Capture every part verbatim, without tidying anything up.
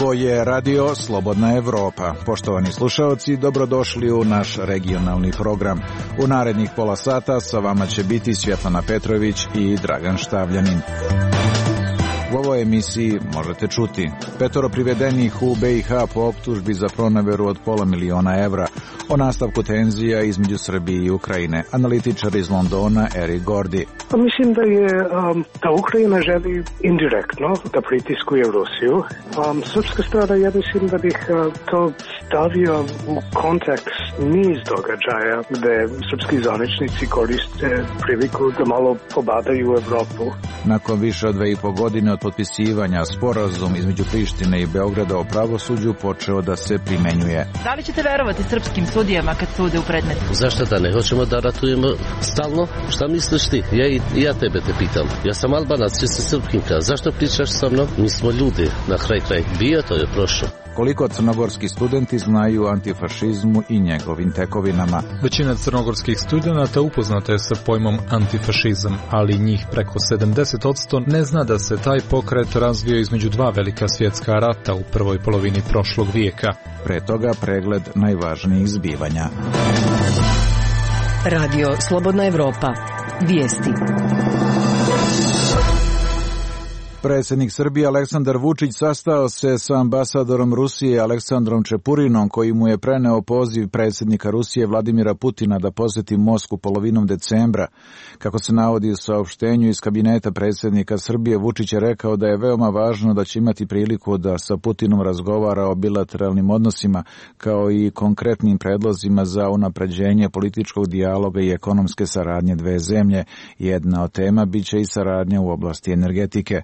Ovo je radio Slobodna Evropa. Poštovani slušaoci, dobrodošli u naš regionalni program. U narednih pola sata sa vama će biti Svjetlana Petrović i Dragan Štavljanin. U ovoj emisiji možete čuti petoro privedenih u B i H po optužbi za proneveru od pola miliona evra, o nastavku tenzija između Srbije i Ukrajine, analitičar iz Londona Eric Gordy. Pa mislim da je um, da Ukrajina želi indirektno da pritiskuje Rusiju. Um, srpska strana, ja mislim da bih uh, to stavio u kontekst niz događaja gde srpski zvaničnici koriste priliku da malo pobadaju Evropu. Nakon više od dve i po godine od potpisivanja, sporazum između Prištine i Beograda o pravosuđu počeo da se primenjuje. Da li ćete verovati srpskim sudijama kad sude u predmetu? Zašto da ne hoćemo da ratujemo stalno? Šta misliš ti? Ja i ja tebe te pitam. Ja sam Albanac, ti si Srpkinka. Zašto pričaš sa mnom? Mi smo ljudi. Na kraj kraj bio, to je prošlo. Koliko crnogorski studenti znaju o antifašizmu i njegovim tekovinama? Većina crnogorskih studenata upoznata je sa pojmom antifašizam, ali njih preko sedamdeset posto ne zna da se taj pokret razvio između dva velika svjetska rata u prvoj polovini prošlog vijeka. Pre toga pregled najvažnijih zbivanja. Radio Slobodna Evropa. Vijesti. Predsjednik Srbije Aleksandar Vučić sastao se sa ambasadorom Rusije Aleksandrom Čepurinom, koji mu je preneo poziv predsjednika Rusije Vladimira Putina da posjeti Moskvu polovinom decembra. Kako se navodi u saopštenju iz kabineta predsjednika Srbije, Vučić je rekao da je veoma važno da će imati priliku da sa Putinom razgovara o bilateralnim odnosima, kao i konkretnim predlozima za unapređenje političkog dijaloga i ekonomske saradnje dve zemlje. Jedna od tema biće i saradnja u oblasti energetike.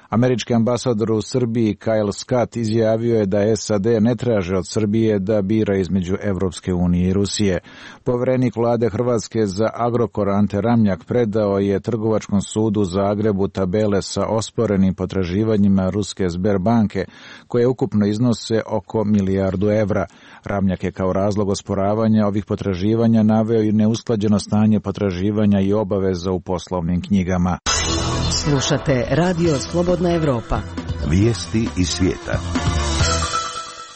Američki ambasador u Srbiji Kyle Scott izjavio je da S A D ne traže od Srbije da bira između Evropske unije i Rusije. Poverenik vlade Hrvatske za Agrokor Ante Ramljak predao je Trgovačkom sudu u Zagrebu tabele sa osporenim potraživanjima ruske Sberbanke, koje ukupno iznose oko milijardu evra. Ramljak je kao razlog osporavanja ovih potraživanja naveo i neusklađeno stanje potraživanja i obaveza u poslovnim knjigama. Slušate Radio Slobodna Evropa. Vijesti iz svijeta.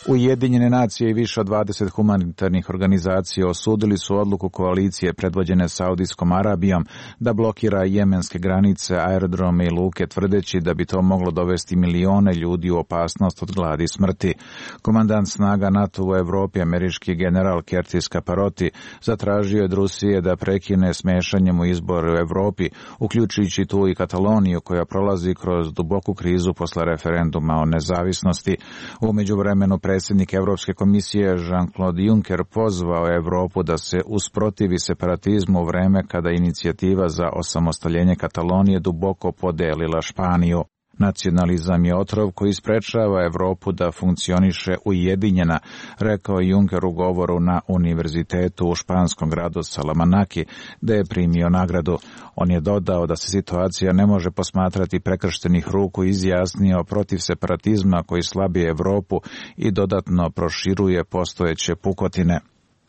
Ujedinjene nacije i više od dvadeset humanitarnih organizacija osudili su odluku koalicije predvođene Saudijskom Arabijom da blokira jemenske granice, aerodrome i luke, tvrdeći da bi to moglo dovesti milione ljudi u opasnost od gladi i smrti. Komandant snaga NATO u Evropi, američki general Curtis Caparoti, zatražio je od Rusije da prekine s mešanjem u izbor u Evropi, uključujući tu i Kataloniju, koja prolazi kroz duboku krizu posle referenduma o nezavisnosti. U međuvremenu predsjednik Evropske komisije Jean-Claude Juncker pozvao Evropu da se usprotivi separatizmu u vreme kada inicijativa za osamostaljenje Katalonije duboko podelila Španiju. Nacionalizam je otrov koji sprečava Evropu da funkcioniše ujedinjena, rekao je Juncker u govoru na univerzitetu u španskom gradu Salamanaki, gde je primio nagradu. On je dodao da se situacija ne može posmatrati prekrštenih ruku i izjasnio protiv separatizma koji slabi Evropu i dodatno proširuje postojeće pukotine.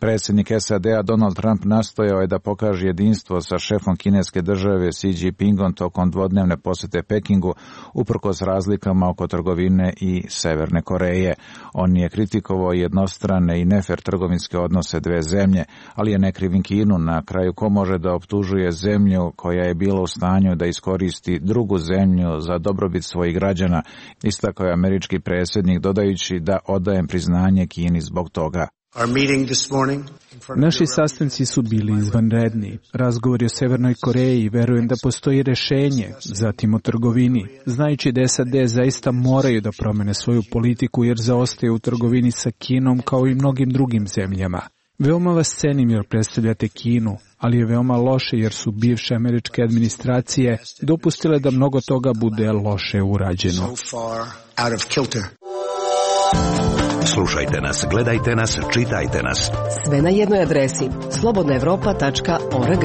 Predsjednik S A D-a Donald Trump nastojao je da pokaže jedinstvo sa šefom kineske države Xi Jinpingom tokom dvodnevne posjete Pekingu, uprkos razlikama oko trgovine i Severne Koreje. On je kritikovao jednostrane i nefer trgovinske odnose dve zemlje, ali je ne krivim Kinu. Na kraju, ko može da optužuje zemlju koja je bila u stanju da iskoristi drugu zemlju za dobrobit svojih građana, istakao je američki predsjednik, dodajući da odajem priznanje Kini zbog toga. Naši sastanci su bili izvanredni. Razgovori o Severnoj Koreji, verujem da postoji rešenje, zatim o trgovini, znajući da S A D zaista moraju da promene svoju politiku jer zaostaju u trgovini sa Kinom kao i mnogim drugim zemljama. Veoma vas cenim jer predstavljate Kinu, ali je veoma loše jer su bivše američke administracije dopustile da mnogo toga bude loše urađeno. Slušajte nas, gledajte nas, čitajte nas. Sve na jednoj adresi slobodna evropa tačka org.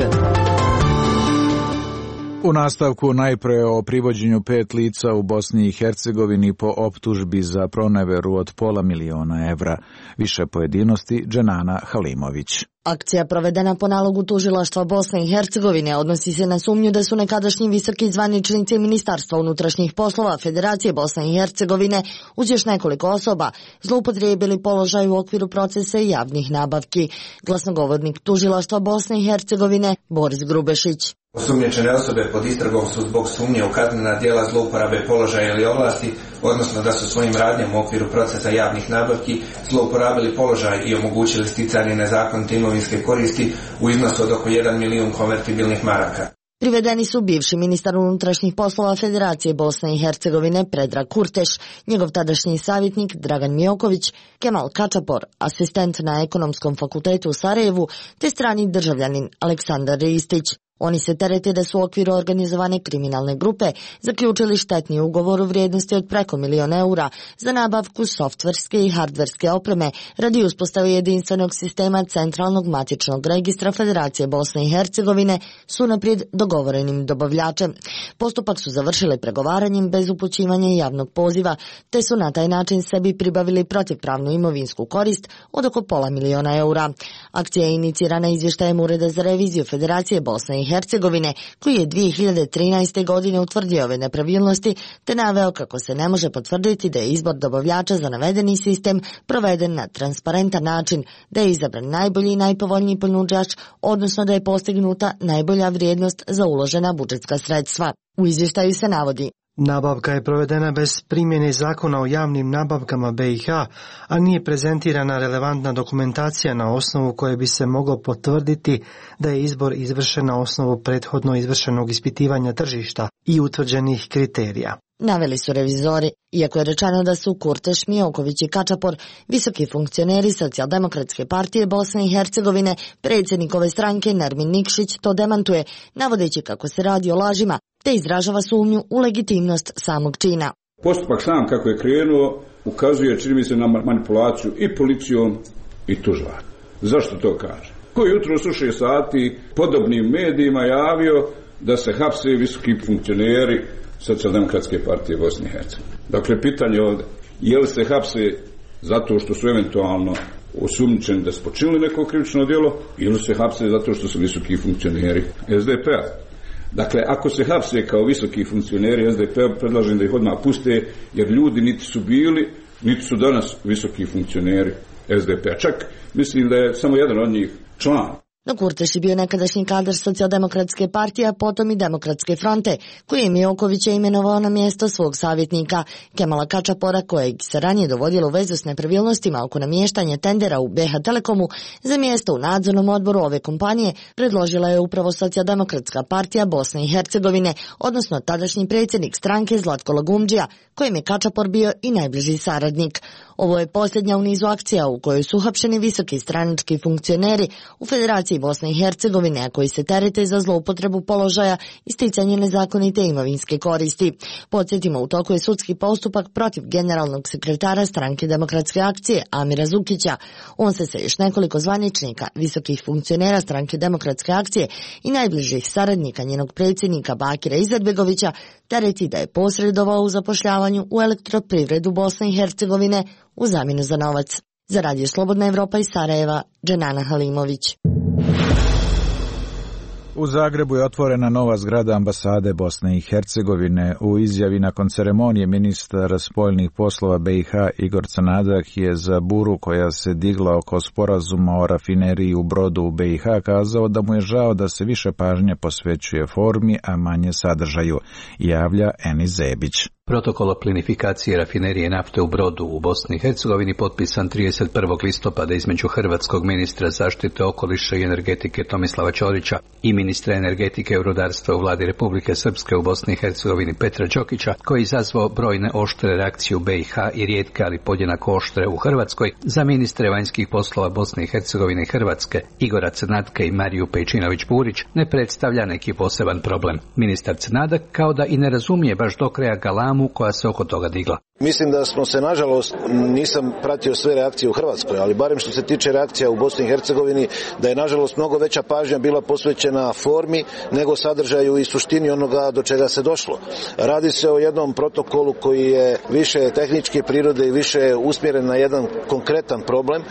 U nastavku najpre o privođenju pet lica u Bosni i Hercegovini po optužbi za proneveru od pola miliona evra. Više pojedinosti Dženana Halimović. Akcija provedena po nalogu tužilaštva Bosne i Hercegovine odnosi se na sumnju da su nekadašnji visoki zvaničnici Ministarstva unutrašnjih poslova Federacije Bosne i Hercegovine uz još nekoliko osoba zloupotrijebili položaj u okviru procesa javnih nabavki. Glasnogovornik tužilaštva Bosne i Hercegovine Boris Grubešić. Osumnjičene osobe pod istragom su zbog sumnje u kaznena djela zlouporabe položaja ili ovlasti, odnosno da su svojim radnjama u okviru procesa javnih nabavki zlouporabili položaj i omogućili sticanje nezakonite imovinske koristi u iznosu od oko jedan milijun konvertibilnih maraka. Privedeni su bivši ministar unutrašnjih poslova Federacije Bosne i Hercegovine Predrag Kurteš, njegov tadašnji savjetnik Dragan Mioković, Kemal Kačapor, asistent na Ekonomskom fakultetu u Sarajevu, te strani državljanin Aleksandar Ristić. Oni se terete da su u okviru organizovane kriminalne grupe zaključili štetni ugovor u vrijednosti od preko milion eura za nabavku softverske i hardverske opreme radi uspostave jedinstvenog sistema centralnog matičnog registra Federacije Bosne i Hercegovine s unaprijed dogovorenim dobavljačem. Postupak su završili pregovaranjem bez upućivanja javnog poziva, te su na taj način sebi pribavili protivpravnu imovinsku korist od oko pola miliona eura. Akcija je inicirana izvještajem Ureda za reviziju Federacije Bosne i Hercegovine, koji je dvije hiljade trinaeste. godine utvrdio ove nepravilnosti, te naveo kako se ne može potvrditi da je izbor dobavljača za navedeni sistem proveden na transparentan način, da je izabran najbolji i najpovoljniji ponuđač, odnosno da je postignuta najbolja vrijednost za uložena budžetska sredstva. U izvještaju se navodi: nabavka je provedena bez primjene zakona o javnim nabavkama B i H, a nije prezentirana relevantna dokumentacija na osnovu koje bi se moglo potvrditi da je izbor izvršen na osnovu prethodno izvršenog ispitivanja tržišta i utvrđenih kriterija. Naveli su revizori, iako je rečeno da su Kurteš, Mioković i Kačapor visoki funkcioneri Socijaldemokratske partije Bosne i Hercegovine, predsjednik ove stranke Nermin Nikšić to demantuje, navodeći kako se radi o lažima, te izražava sumnju u legitimnost samog čina. Postupak sam kako je krenuo ukazuje, čini mi se, na manipulaciju i policijom i tužilaštvom. Zašto to kaže? Koji jutro su šest sati podobnim medijima javio da se hapse visoki funkcioneri Socijaldemokratske partije Bosne i Hercegovine. Dakle, pitanje ovdje, je li se hapse zato što su eventualno osumnjičeni da su počinili neko krivično djelo, ili se hapse zato što su visoki funkcioneri S D P-a. Dakle, ako se hapse kao visoki funkcioneri S D P-a, predlažem da ih odmah puste, jer ljudi niti su bili, niti su danas visoki funkcioneri S D P-a. Čak mislim da je samo jedan od njih član. No Kurteš je bio nekadašnji kadar Socijaldemokratske partije, a potom i Demokratske fronte, koji je Miokovića imenovao na mjesto svog savjetnika. Kemala Kačapora, kojeg se ranije dovodilo u vezu s nepravilnostima oko namještanja tendera u B H Telekomu za mjesto u nadzornom odboru ove kompanije, predložila je upravo Socijaldemokratska partija Bosne i Hercegovine, odnosno tadašnji predsjednik stranke Zlatko Lagumdžija, kojem je Kačapor bio i najbliži saradnik. Ovo je posljednja u nizu akcija u kojoj su uhapšeni visoki stranački funkcioneri u Federaciji Bosne i Hercegovine, a koji se terete za zloupotrebu položaja i sticanje nezakonite imovinske koristi. Podsjetimo, u toku je sudski postupak protiv generalnog sekretara stranke Demokratske akcije Amira Zukića. On se sa još nekoliko zvaničnika, visokih funkcionera stranke Demokratske akcije i najbližih saradnika njenog predsjednika Bakira Izetbegovića tereti da je posredovao u zapošljavanju u elektroprivredu Bosne i Hercegovine u zamjenu za novac. Za Radio Slobodna Evropa iz Sarajeva, Dženana Halimović. U Zagrebu je otvorena nova zgrada ambasade Bosne i Hercegovine. U izjavi nakon ceremonije ministar spoljnih poslova B i H Igor Crnadak je za buru koja se digla oko sporazuma o rafineriji u Brodu u B i H kazao da mu je žao da se više pažnje posvećuje formi, a manje sadržaju, javlja Enis Zebić. Protokol o plinifikaciji rafinerije nafte u Brodu u Bosni i Hercegovini potpisan trideset prvog listopada između hrvatskog ministra zaštite okoliša i energetike Tomislava Ćorića i ministra energetike i rudarstva u vladi Republike Srpske u Bosni i Hercegovini Petra Đokića, koji je izazvao brojne oštre reakcije u B i H i rijetke, ali podjednako oštre u Hrvatskoj, za ministre vanjskih poslova Bosne i Hercegovine i Hrvatske Igora Crnatka i Mariju Pejčinović-Burić ne predstavlja neki poseban problem. Ministar Crnadak kao da i ne razumije baš do kraja galamu koja se oko toga digla. Mislim da smo se, nažalost, nisam pratio sve reakcije u Hrvatskoj, ali barem što se tiče reakcija u Bosni i Hercegovini, da je, nažalost, mnogo veća pažnja bila posvećena formi nego sadržaju i suštini onoga do čega se došlo. Radi se o jednom protokolu koji je više tehničke prirode i više usmjeren na jedan konkretan problem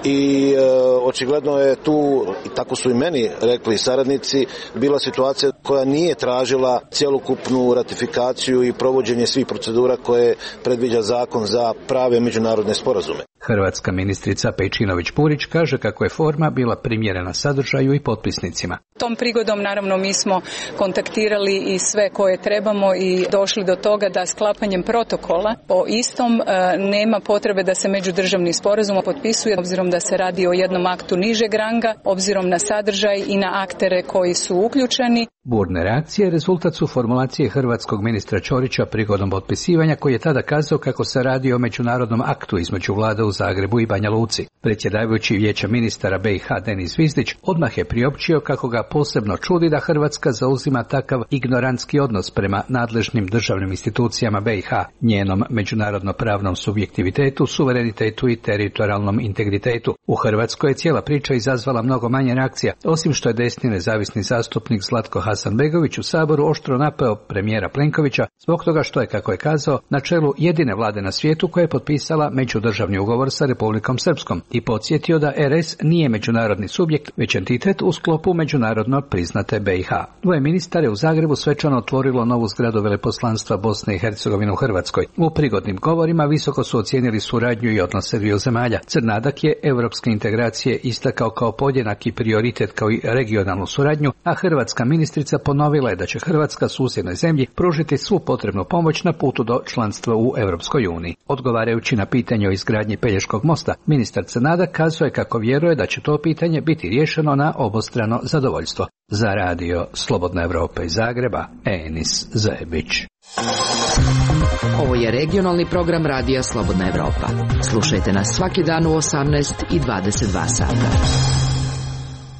i e, očigledno je tu, i tako su i meni rekli saradnici, bila situacija koja nije tražila cjelokupnu ratifikaciju i provođenje svih procedura koje predviđa zakon za prave međunarodne sporazume. Hrvatska ministrica Pejčinović-Burić kaže kako je forma bila primjerena sadržaju i potpisnicima. Tom prigodom naravno mi smo kontaktirali i sve koje trebamo i došli do toga da sklapanjem protokola o istom e, nema potrebe da se međudržavni sporazum potpisuje, obzirom da se radi o jednom aktu nižeg ranga, obzirom na sadržaj i na aktere koji su uključeni. Burne reakcije rezultat su formulacije hrvatskog ministra Ćorića prigodom potpisivanja, koji je tada kazao kako se radi o međunarodnom aktu između vlada u Zagrebu i Banja Luci. Predsjedavajući Vijeća ministara B i H Denis Zvizdić odmah je priopćio kako ga posebno čudi da Hrvatska zauzima takav ignorantski odnos prema nadležnim državnim institucijama B i H, njenom međunarodno-pravnom subjektivitetu, suverenitetu i teritorijalnom integritetu. U Hrvatskoj je cijela priča izazvala mnogo manje reakcija, osim što je desni nezavisni zastupnik Zlatko Hasanbegović u Saboru oštro napao premijera Plenkovića zbog toga što je, kako je kazao, na čelu jedine vlade na svijetu koja je potpisala međudržavni ugovor sa Republikom Srpskom i podsjetio da R S nije međunarodni subjekt, već entitet u sklopu međunarodno priznate B i H. Dvoje ministara u Zagrebu svečano otvorilo novu zgradu veleposlanstva Bosne i Hercegovine u Hrvatskoj. U prigodnim govorima visoko su ocijenili suradnju i odnose dviju zemalja. Crnadak je europske integracije istakao kao podjednaki prioritet kao i regionalnu suradnju, a hrvatska ministrica ponovila je da će Hrvatska susjednoj zemlji pružiti svu potrebnu pomoć na putu do članstva u Europskoj uniji. Odgovarajući na pitanje o izgradnji Pelješkog mosta, ministar Crnadak kazao je kako vjeruje da će to pitanje biti riješeno na obostrano zadovoljstvo. Za radio Slobodna Evropa iz Zagreba, Enis Zebić. Ovo je regionalni program radija Slobodna Evropa. Slušajte nas svaki dan u osamnaest i dvadeset dva sata.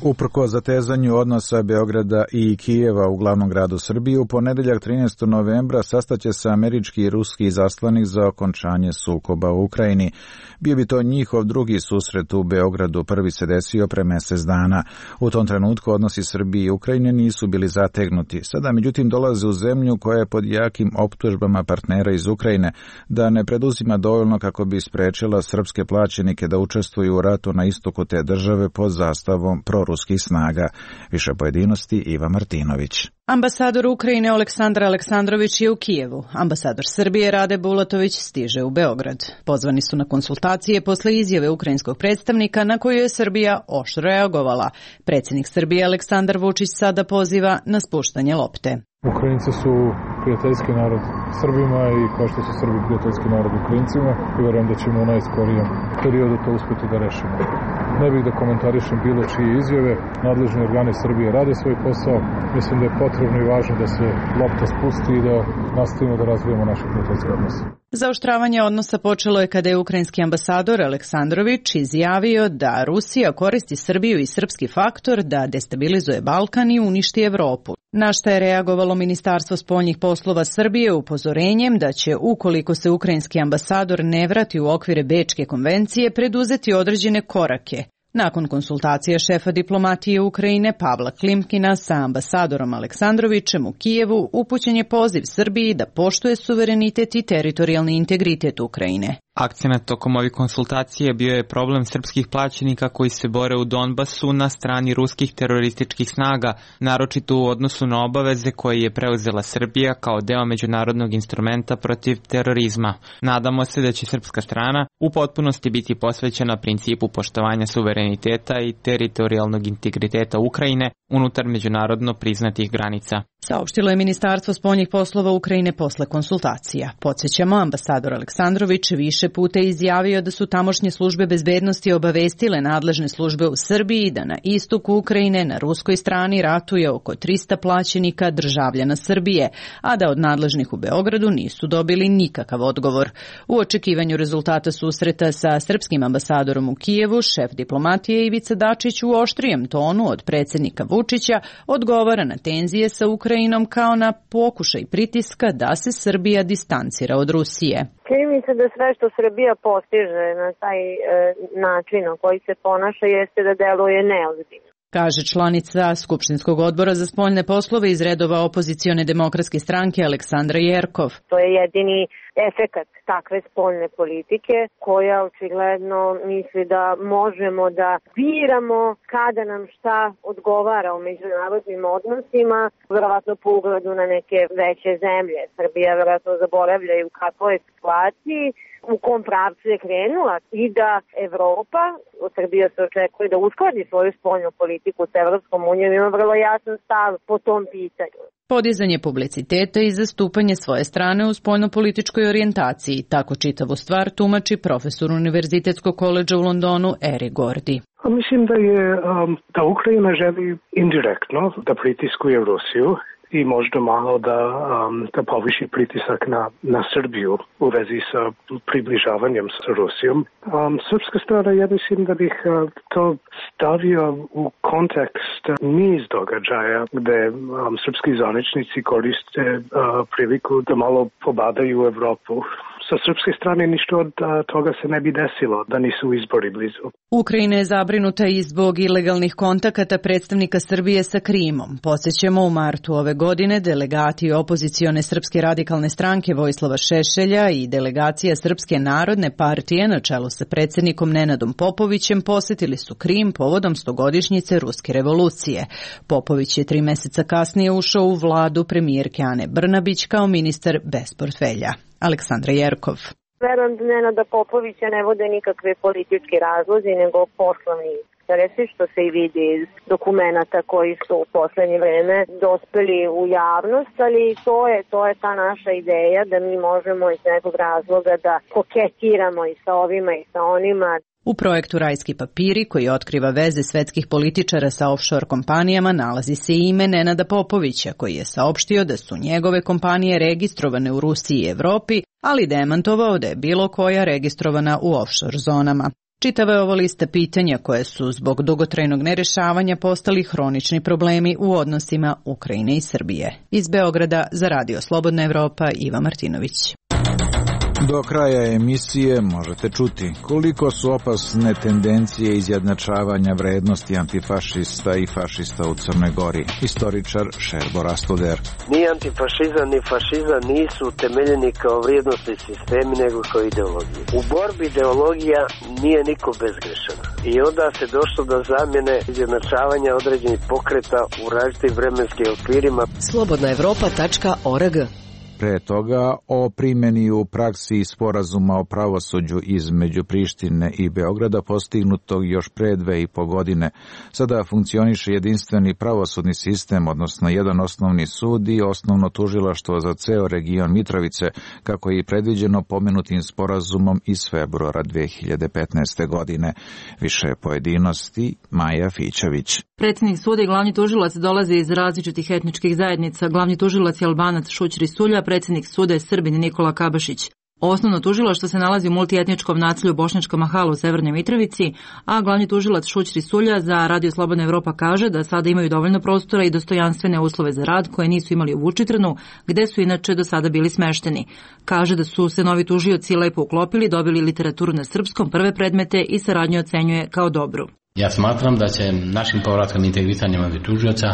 Uprkos zatezanju odnosa Beograda i Kijeva u glavnom gradu Srbije, u ponedeljak trinaestog novembra sastaće se američki i ruski izaslanik za okončanje sukoba u Ukrajini. Bio bi to njihov drugi susret u Beogradu, prvi se desio pre mjesec dana. U tom trenutku odnosi Srbije i Ukrajine nisu bili zategnuti. Sada međutim dolaze u zemlju koja je pod jakim optužbama partnera iz Ukrajine da ne preduzima dovoljno kako bi sprečila srpske plaćenike da učestvuju u ratu na istoku te države pod zastavom proruskih snaga. Više pojedinosti Iva Martinović. Ambasador Ukrajine Aleksandar Aleksandrović je u Kijevu. Ambasador Srbije Rade Bulatović stiže u Beograd. Pozvani su na konsultacije posle izjave ukrajinskog predstavnika na koju je Srbija oštro reagovala. Predsjednik Srbije Aleksandar Vučić sada poziva na spuštanje lopte. Ukrajinci su prijateljski narod Srbima i kao što su Srbi prijateljski narod Ukrajincima i vjerujem da ćemo u najskorijem periodu to uspjeti da rešimo. Ne bih da komentarišem bilo čije izjave, nadležni organi Srbije rade svoj posao, mislim da je potrebno i važno da se lopta spusti i da nastavimo da razvijemo naše prijateljske odnose. Zaoštravanje odnosa počelo je kada je ukrajinski ambasador Aleksandrović izjavio da Rusija koristi Srbiju i srpski faktor da destabilizuje Balkan i uništi Evropu. Na šta je reagovalo Ministarstvo spoljnih poslova Srbije upozorenjem da će, ukoliko se ukrajinski ambasador ne vrati u okvire Bečke konvencije, preduzeti određene korake. Nakon konsultacija šefa diplomatije Ukrajine Pavla Klimkina sa ambasadorom Aleksandrovićem u Kijevu, upućen je poziv Srbiji da poštuje suverenitet i teritorijalni integritet Ukrajine. Akcenat tokom ovih konsultacija bio je problem srpskih plaćenika koji se bore u Donbasu na strani ruskih terorističkih snaga, naročito u odnosu na obaveze koje je preuzela Srbija kao deo međunarodnog instrumenta protiv terorizma. Nadamo se da će srpska strana u potpunosti biti posvećena principu poštovanja suvereniteta i teritorijalnog integriteta Ukrajine unutar međunarodno priznatih granica. Saopštilo je Ministarstvo spoljnih poslova Ukrajine posle konsultacija. Podsjećamo, ambasador Aleksandrović više puta izjavio da su tamošnje službe bezbednosti obavestile nadležne službe u Srbiji da na istoku Ukrajine na ruskoj strani ratuje oko trista plaćenika državljana Srbije, a da od nadležnih u Beogradu nisu dobili nikakav odgovor. U očekivanju rezultata susreta sa srpskim ambasadorom u Kijevu, šef diplomatije Ivica Dačić u oštrijem tonu od predsjednika Vučića Vučića odgovara na tenzije sa Ukrajinom kao na pokušaj pritiska da se Srbija distancira od Rusije. Čini mi se da sve što Srbija postiže na taj e, način na koji se ponaša jeste da deluje neozbiljno. Kaže članica Skupštinskog odbora za spoljne poslove iz redova opozicione demokratske stranke Aleksandra Jerkov. To je jedini efekat takve spoljne politike koja očigledno misli da možemo da biramo kada nam šta odgovara u međunarodnim odnosima, verovatno po ugledu na neke veće zemlje. Srbija verovatno zaboravlja i u kakvoj situaciji, u kom pravcu je krenula i da Evropa, od Srbije se očekuje da uskladi svoju spoljnu politiku s Evropskom unijom, ima vrlo jasan stav po tom pitanju. Podizanje publiciteta i zastupanje svoje strane u spoljnopolitičkoj orijentaciji, tako čitavu stvar tumači profesor Univerzitetskog koledža u Londonu Eri Gordi. Mislim da je um, da Ukrajina želi indirektno da pritiskuje Rusiju i možda malo da, um, da poviši pritisak na, na Srbiju u vezi sa približavanjem sa Rusijom. Um, srpska strana, ja mislim da bih uh, to stavio u kontekst niz događaja gde um, srpski zvaničnici koriste uh, priliku da malo pobadaju Evropu. Sa srpske strane ništa od toga se ne bi desilo da nisu izbori blizu. Ukrajina je zabrinuta i zbog ilegalnih kontakata predstavnika Srbije sa Krimom. Podsjećamo, u martu ove godine delegati opozicione Srpske radikalne stranke Vojislava Šešelja i delegacija Srpske narodne partije na čelu sa predsjednikom Nenadom Popovićem posetili su Krim povodom stogodišnjice Ruske revolucije. Popović je tri meseca kasnije ušao u vladu premijerke Ane Brnabić kao ministar bez portfelja. Aleksandra Jerkov. Verujem da Nenada Popovića ne vode nikakve politički razlozi, nego poslovni interesi, što se i vidi iz dokumenata koji su u poslednje vreme dospeli u javnost, ali to je, to je ta naša ideja da mi možemo iz nekog razloga da koketiramo i sa ovima i sa onima. U projektu Rajski papiri, koji otkriva veze svetskih političara sa offshore kompanijama, nalazi se i ime Nenada Popovića, koji je saopštio da su njegove kompanije registrovane u Rusiji i Evropi, ali demantovao da je bilo koja registrovana u offshore zonama. Čitava je ovo lista pitanja koje su zbog dugotrajnog nerešavanja postali hronični problemi u odnosima Ukrajine i Srbije. Iz Beograda za Radio Slobodna Evropa, Iva Martinović. Do kraja emisije možete čuti koliko su opasne tendencije izjednačavanja vrednosti antifašista i fašista u Crnoj Gori. Istoričar Šerbo Rastoder. Ni antifašizam ni fašizam nisu utemeljeni kao vrijednosti sistemi nego kao ideologije. U borbi ideologija nije niko bezgrešan. I onda se došlo do zamjene izjednačavanja određenih pokreta u različitim vremenskim okvirima. slobodna evropa tačka org. Pre toga o primjeni u praksi sporazuma o pravosuđu između Prištine i Beograda postignutog još pre dve i po godine. Sada funkcioniše jedinstveni pravosudni sistem, odnosno jedan osnovni sud i osnovno tužilaštvo za ceo region Mitrovice, kako je i predviđeno pomenutim sporazumom iz februara dve hiljade petnaeste. godine. Više pojedinosti Maja Fićević. Predsjednik suda i glavni tužilac dolaze iz različitih etničkih zajednica. Glavni tužilac je Albanac Šućri Sulja, predsjednik suda je Srbin Nikola Kabašić. Osnovno tužilaštvo se nalazi u multietničkom naselju Bošnjačka Mahala u Severnoj Mitrovici, a glavni tužilac Šućri Sulja za Radio Slobodna Evropa kaže da sada imaju dovoljno prostora i dostojanstvene uslove za rad koje nisu imali u Vučitrnu, gde su inače do sada bili smešteni. Kaže da su se novi tužioci lepo uklopili, dobili literaturu na srpskom, prve predmete i saradnju ocenjuje kao dobru. Ja smatram da će našim povratkom integrisanjem ovih tužioca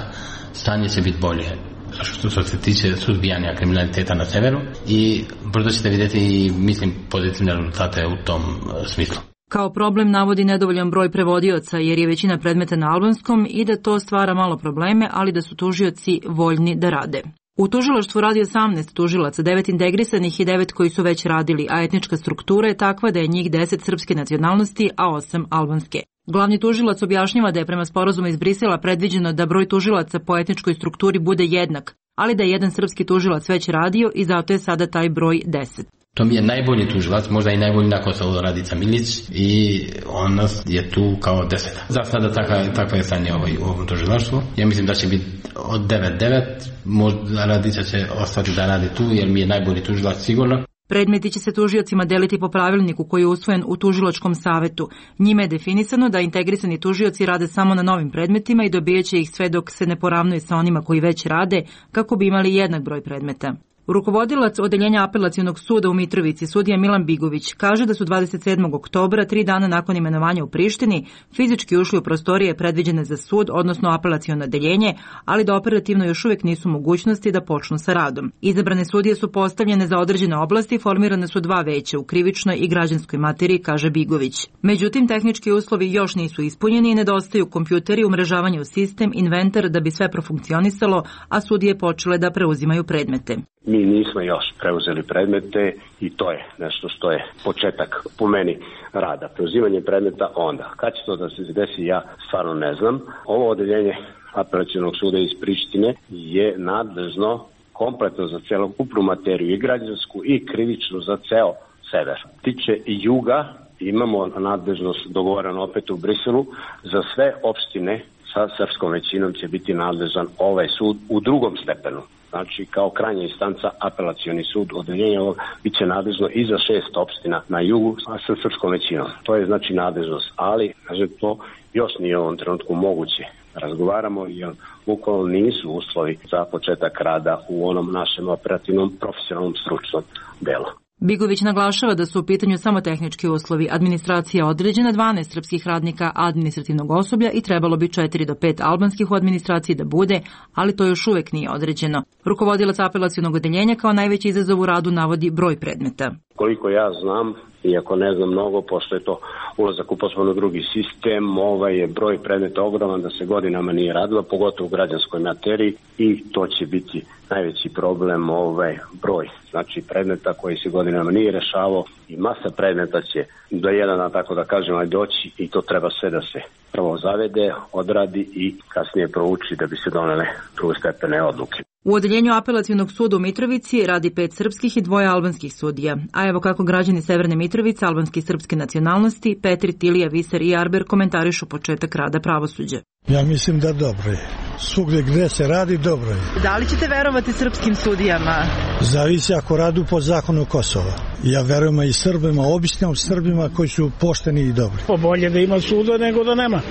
stanje će biti bolje što se tiče suzbijanja kriminaliteta na severu i brzo ćete vidjeti i mislim pozitivne rezultate u tom smislu. Kao problem navodi nedovoljan broj prevodioca jer je većina predmeta na albanskom i da to stvara malo probleme, ali da su tužioci voljni da rade. U tužilaštvu radi osamnaest tužilaca, devet integrisanih i devet koji su već radili, a etnička struktura je takva da je njih deset srpske nacionalnosti, a osam albanske. Glavni tužilac objašnjava da je prema sporazumu iz Brisela predviđeno da broj tužilaca po etničkoj strukturi bude jednak, ali da je jedan srpski tužilac već radio i zato je sada taj broj deset. To mi je najbolji tužilac, možda i najbolji nakon sa Radica Milić i on je tu kao deset. Za sada takva, takva je stanje ovaj, u ovom tužilaštvu. Ja mislim da će biti od devet devet, možda Radica će ostati da radi tu jer mi je najbolji tužilac sigurno. Predmeti će se tužiocima deliti po pravilniku koji je usvojen u tužilačkom savetu. Njime je definisano da integrisani tužioci rade samo na novim predmetima i dobijaće ih sve dok se ne poravnuje sa onima koji već rade, kako bi imali jednak broj predmeta. Rukovodilac Odeljenja apelacionog suda u Mitrovici, sudija Milan Bigović, kaže da su dvadeset sedmog oktobra, tri dana nakon imenovanja u Prištini, fizički ušli u prostorije predviđene za sud, odnosno apelaciono odeljenje, ali da operativno još uvijek nisu mogućnosti da počnu sa radom. Izabrane sudije su postavljene za određene oblasti, formirane su dva veća u krivičnoj i građanskoj materiji, kaže Bigović. Međutim, tehnički uslovi još nisu ispunjeni i nedostaju kompjuteri, umrežavanje u sistem, inventar da bi sve profunkcionisalo, a sudije počele da preuzimaju predmete. Mi nismo još preuzeli predmete i to je nešto što je početak po meni rada. Preuzimanje predmeta onda. Kad će to da se desi, ja stvarno ne znam. Ovo odeljenje apelacionog suda iz Prištine je nadležno kompletno za celokupnu materiju, i građansku i krivičnu, za ceo sever. Tiče juga, imamo nadležnost dogovoreno opet u Briselu, za sve opštine sa srpskom većinom će biti nadležan ovaj sud u drugom stepenu. Znači, kao krajnja instanca, apelacioni sud odeljenja ovog bit će nadležno i za šest opština na jugu sa srpskom većinom. To je znači nadležnost, ali kažem, to još nije u ovom trenutku moguće. Razgovaramo jer bukvalno nisu uslovi za početak rada u onom našem operativnom, profesionalnom, stručnom delu. Bigović naglašava da su u pitanju samo tehnički uslovi. Administracija određena, dvanaest srpskih radnika administrativnog osoblja i trebalo bi četiri do pet albanskih u administraciji da bude, ali to još uvek nije određeno. Rukovodilac apelacionog odeljenja kao najveći izazov u radu navodi broj predmeta. Koliko ja znam, iako ne znam mnogo, pošto je to ulazak u poslovno drugi sistem, ovaj je broj predmeta ogroman da se godinama nije radilo, pogotovo u građanskoj materiji, i to će biti najveći problem, ovaj broj, znači predmeta koji se godinama nije rešavao, i masa predmeta će do jedan, tako da kažem, ali doći, i to treba sve da se prvo zavede, odradi i kasnije prouči da bi se donele drugostepene odluke. U odeljenju apelacionog suda u Mitrovici radi pet srpskih i dvoje albanskih sudija. A evo kako građani Severne Mitrovice, albanske i srpske nacionalnosti, Petri, Tilija, Viser i Arber komentarišu početak rada pravosuđa. Ja mislim da dobro je. Svugdje gdje se radi, dobro je. Da li ćete verovati srpskim sudijama? Zavisi ako radu po zakonu Kosova. Ja verujem i Srbima, običnim Srbima koji su pošteni i dobri. Bolje da ima suda nego da nema.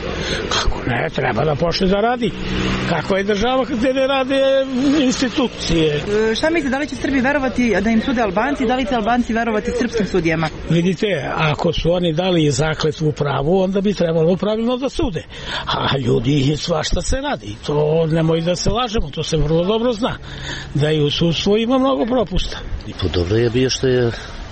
Kako ne, treba da počne da radi. Kako je država gdje ne rade institucije. E, šta mislite, da li će Srbi verovati da im sude Albanci, da li će Albanci verovati srpskim sudijama? Vidite, ako su oni dali zakletvu pravu, onda bi trebalo pravilno da sude. A ljudi, svašta se radi. To nemoj da se lažemo, to se vrlo dobro zna. Da i u sudstvu ima mnogo propusta. I po dobro je bio što je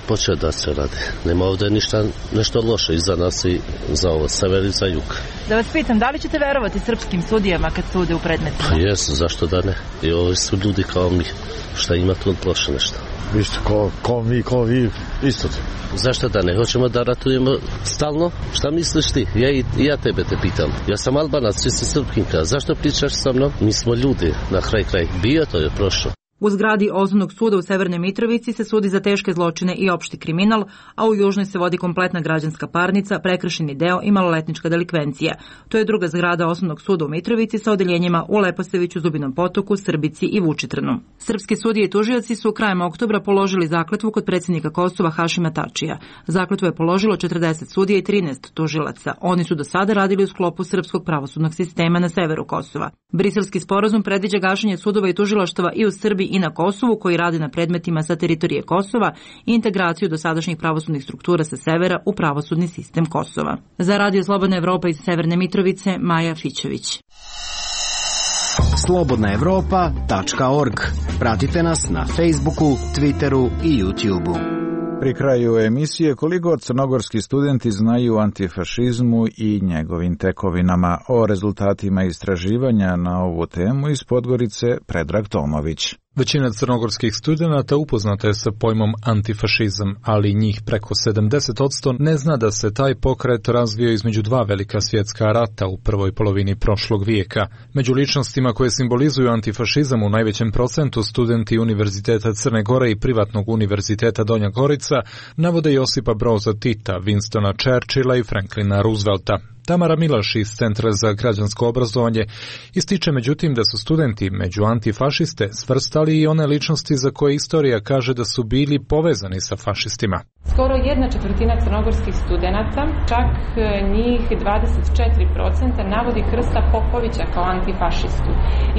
počeo da se radi. Nema ovdje ništa, nešto loše iza nas i za ovo, sever i za jug. Da vas pitam, da li ćete verovati srpskim sudijama kad sude u predmetima? Pa jesu, zašto da ne? I ovi su ljudi kao mi. Šta ima tu loše nešto? Isto ko, ko mi, ko vi, isto. Zašto da ne? Hoćemo da ratujemo stalno? Šta misliš ti? Ja i ja tebe te pitam. Ja sam Albanac, ti si Srpkinka. Zašto pričaš sa mnom? Mi smo ljudi, na kraj kraj. Bio to je prošlo. U zgradi Osnovnog suda u Severnoj Mitrovici se sudi za teške zločine i opšti kriminal, a u Južnoj se vodi kompletna građanska parnica, prekršajni deo i maloletnička delikvencija. To je druga zgrada Osnovnog suda u Mitrovici sa odeljenjima u Leposaviću, Zubinom Potoku, Srbici i Vučitrnu. Srpski sudije i tužioci su krajem oktobra položili zakletvu kod predsjednika Kosova Hašima Tačija. Zakletvu je položilo četrdeset sudija i trinaest tužilaca. Oni su do sada radili u sklopu srpskog pravosudnog sistema na severu Kosova. Briselski sporazum predviđa gašenje sudova i tužilaštava i u Srbiji i na Kosovu koji radi na predmetima sa teritorije Kosova i integraciju dosadašnjih pravosudnih struktura sa severa u pravosudni sistem Kosova. Za Radio Slobodna Evropa iz Severne Mitrovice, Maja Fićević. slobodna evropa tačka org. Pratite nas na Facebooku, Twitteru i YouTubeu. Pri kraju emisije koliko crnogorski studenti znaju o antifašizmu i njegovim tekovinama. O rezultatima istraživanja na ovu temu iz Podgorice Predrag Tomović. Većina crnogorskih studenata upoznata je sa pojmom antifašizam, ali njih preko sedamdeset posto ne zna da se taj pokret razvio između dva velika svjetska rata u prvoj polovini prošlog vijeka. Među ličnostima koje simbolizuju antifašizam u najvećem procentu studenti Univerziteta Crne Gore i privatnog univerziteta Donja Gorica navode Josipa Broza Tita, Winstona Churchilla i Franklina Roosevelta. Tamara Milaš iz Centra za građansko obrazovanje ističe međutim da su studenti među antifašiste svrstali i one ličnosti za koje istorija kaže da su bili povezani sa fašistima. Skoro jedna četvrtina crnogorskih studenata, čak njih dvadeset četiri posto navodi Krsta Popovića kao antifašistu.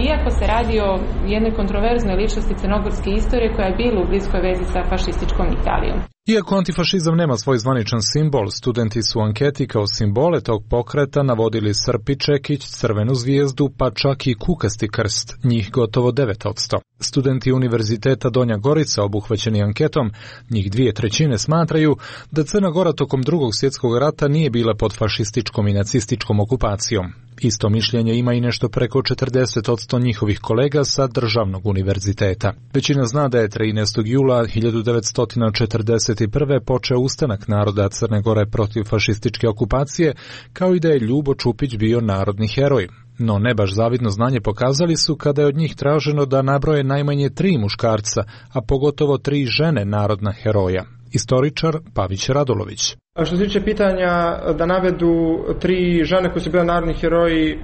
Iako se radi o jednoj kontroverznoj ličnosti crnogorske istorije koja je bila u bliskoj vezi sa fašističkom Italijom. Iako antifašizam nema svoj zvaničan simbol, studenti su u anketi kao simbole tog pokreta navodili srp i čekić, crvenu zvijezdu, pa čak i kukasti krst, njih gotovo devet posto. Studenti Univerziteta Donja Gorica obuhvaćeni anketom, njih dvije trećine smatraju da Crna Gora tokom drugog svjetskog rata nije bila pod fašističkom i nacističkom okupacijom. Isto mišljenje ima i nešto preko četrdeset posto njihovih kolega sa državnog univerziteta. Većina zna da je trinaestog jula hiljadu devetsto četrdeset prve počeo ustanak naroda Crne Gore protiv fašističke okupacije, kao i da je Ljubo Čupić bio narodni heroj. No ne baš zavidno znanje pokazali su kada je od njih traženo da nabroje najmanje tri muškarca, a pogotovo tri žene narodna heroja. Istoričar Pavić Radulović. A što se tiče pitanja da navedu tri žene koje su bile narodni heroji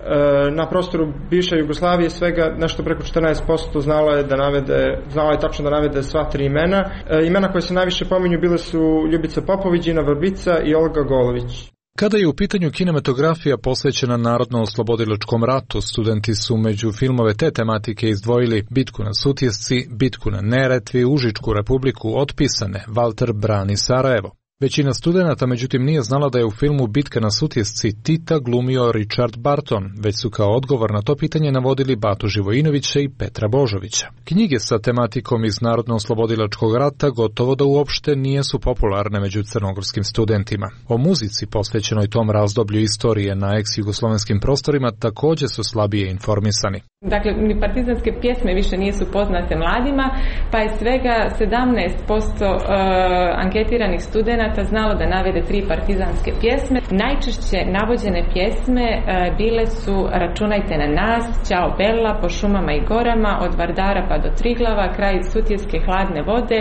na prostoru bivše Jugoslavije, svega nešto preko četrnaest posto znalo je da navede, znalo je tačno da navede sva tri imena. Imena koje se najviše pominju bile su Ljubica Popović, Dina Vrbica i Olga Golović. Kada je u pitanju kinematografija posvećena narodno-oslobodilačkom ratu, studenti su među filmove te tematike izdvojili Bitku na Sutjesci, Bitku na Neretvi, Užičku republiku, Otpisane, Valter brani Sarajevo. Većina studenata međutim nije znala da je u filmu Bitka na Sutjesci Tita glumio Richard Barton, već su kao odgovor na to pitanje navodili Batu Živojinovića i Petra Božovića. Knjige sa tematikom iz narodno-oslobodilačkog rata gotovo da uopšte nijesu popularne među crnogorskim studentima. O muzici posvećenoj tom razdoblju istorije na ex-jugoslovenskim prostorima također su slabije informisani. Dakle, ni partizanske pjesme više nisu poznate mladima, pa je svega sedamnaest posto uh, anketiranih studenata znalo da navede tri partizanske pjesme. Najčešće navođene pjesme uh, bile su Računajte na nas, Ćao Bella, Po šumama i gorama, Od Vardara pa do Triglava, Kraj Sutjeske hladne vode,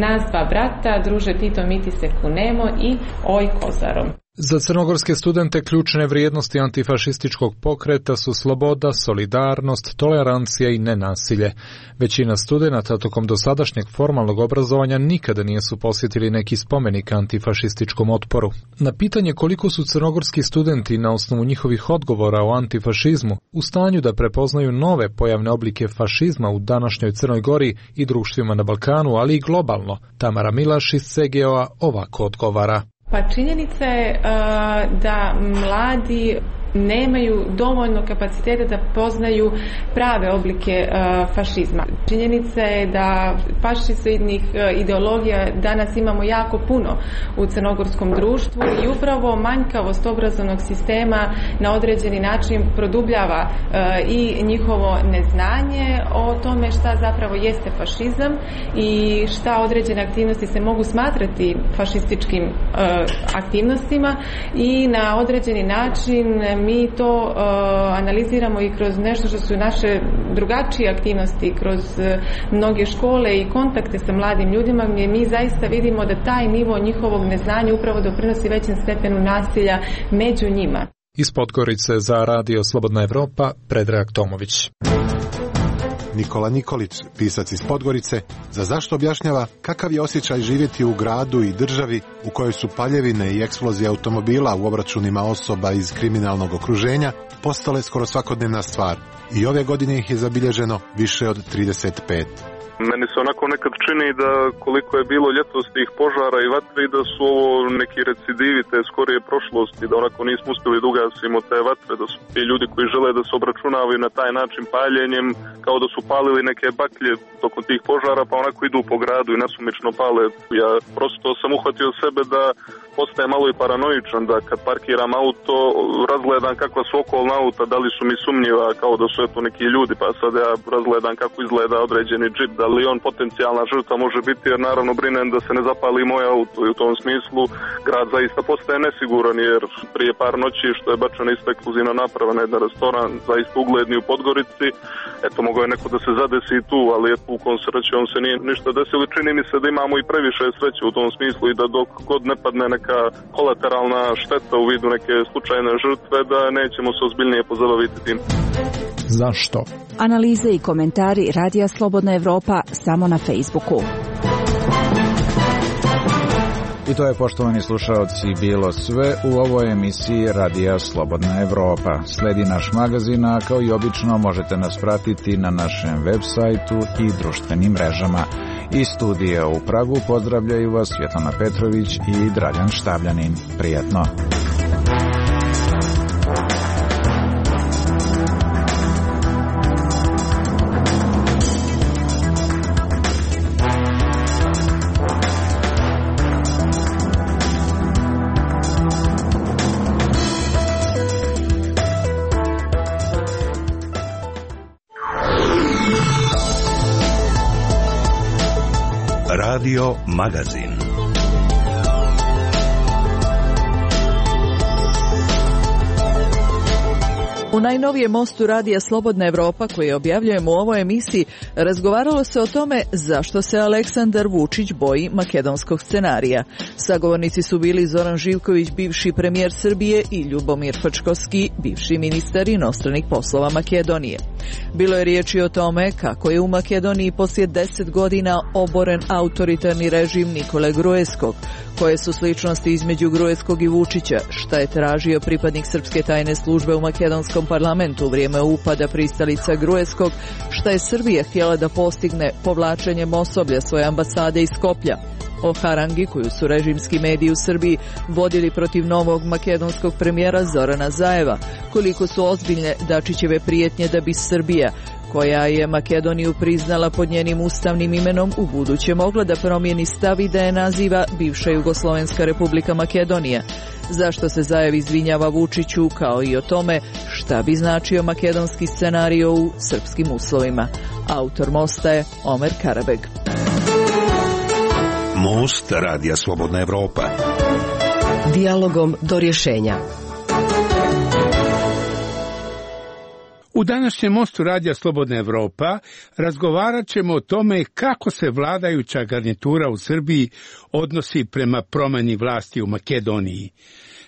Nas dva brata, Druže Tito mi ti se kunemo i Oj Kozarom. Za crnogorske studente ključne vrijednosti antifašističkog pokreta su sloboda, solidarnost, tolerancija i nenasilje. Većina studenata tokom dosadašnjeg formalnog obrazovanja nikada nisu posjetili neki spomenik antifašističkom otporu. Na pitanje koliko su crnogorski studenti na osnovu njihovih odgovora o antifašizmu u stanju da prepoznaju nove pojavne oblike fašizma u današnjoj Crnoj Gori i društvima na Balkanu, ali i globalno, Tamara Milaš iz C G O-a ovako odgovara. Pa činjenica je uh, da mladi nemaju dovoljno kapaciteta da poznaju prave oblike uh, fašizma. Činjenica je da fašistoidnih uh, ideologija danas imamo jako puno u crnogorskom društvu i upravo manjkavost obrazovnog sistema na određeni način produbljava uh, i njihovo neznanje o tome šta zapravo jeste fašizam i šta određene aktivnosti se mogu smatrati fašističkim uh, aktivnostima i na određeni način mi to uh, analiziramo i kroz nešto što su naše drugačije aktivnosti, kroz uh, mnoge škole i kontakte sa mladim ljudima gdje mi zaista vidimo da taj nivo njihovog neznanja upravo doprinosi većem stepenu nasilja među njima. Iz Podgorice za Radio Slobodna Evropa, Predrag Tomović. Nikola Nikolić, pisac iz Podgorice, za zašto objašnjava kakav je osjećaj živjeti u gradu i državi u kojoj su paljevine i eksplozije automobila u obračunima osoba iz kriminalnog okruženja postale skoro svakodnevna stvar. I ove godine ih je zabilježeno više od trideset pet. Meni se onako nekad čini da koliko je bilo ljetos tih požara i vatre i da su ovo neki recidivi te skorije prošlosti, da onako nismo uspjeli da ugasimo te vatre, da su ti ljudi koji žele da se obračunavaju na taj način paljenjem, kao da su palili neke baklje tokom tih požara, pa onako idu po gradu i nasumično pale. Ja prosto sam uhvatio sebe da postaje malo i paranoičan, da kad parkiram auto razgledam kakva su okolna auta, da li su mi sumnjiva, kao da su eto neki ljudi, pa sad ja razgledam kako izgleda određeni džip, da li on potencijalna žrtva može biti, jer naravno brinem da se ne zapali moj auto i u tom smislu grad zaista postaje nesiguran, jer prije par noći što je bačena isto eksplozivna naprava na jedan restoran, zaista ugledni u Podgorici, eto mogao je neko da se zadesi i tu, ali eto u kom srećom se nije ništa desilo. Čini mi se da imamo i previše sreće u tom smislu i da dok god ne padne neka kolateralna šteta u vidu neke slučajne žrtve, da nećemo se ozbiljnije pozabaviti tim. Zašto? Analize i komentari Radija Slobodna Evropa samo na Facebooku. I to je, poštovani slušaoci, bilo sve u ovoj emisiji Radija Slobodna Evropa. Sledi naš magazin, a kao i obično možete nas pratiti na našem web sajtu i društvenim mrežama. Iz studija u Pragu pozdravljaju vas Svjetlana Petrović i Dragan Štavljanin. Prijatno! Radio Magazin. U najnovijem mostu Radija Slobodna Evropa, koji objavljujemo u ovoj emisiji, razgovaralo se o tome zašto se Aleksandar Vučić boji makedonskog scenarija. Sagovornici su bili Zoran Živković, bivši premijer Srbije, i Ljubomir Frčkovski, bivši ministar inostranih poslova Makedonije. Bilo je riječi o tome kako je u Makedoniji poslije deset godina oboren autoritarni režim Nikole Gruevskog, koje su sličnosti između Gruevskog i Vučića, šta je tražio pripadnik srpske tajne službe u makedonskom parlamentu u vrijeme upada pristalica Gruevskog, šta je Srbija htjela da postigne povlačenjem osoblja svoje ambasade iz Skoplja, o harangi koju su režimski mediji u Srbiji vodili protiv novog makedonskog premijera Zorana Zajeva, koliko su ozbiljne Dačićeve prijetnje da bi Srbija, koja je Makedoniju priznala pod njenim ustavnim imenom, u buduće mogla da promijeni stav i da je naziva bivša Jugoslovenska republika Makedonija. Zašto se Zajev izvinjava Vučiću, kao i o tome šta bi značio makedonski scenario u srpskim uslovima. Autor mosta je Omer Karabeg. Most Radija Slobodna Evropa. Dijalogom do rješenja. U današnjem mostu Radija Slobodna Evropa razgovarat ćemo o tome kako se vladajuća garnitura u Srbiji odnosi prema promjeni vlasti u Makedoniji.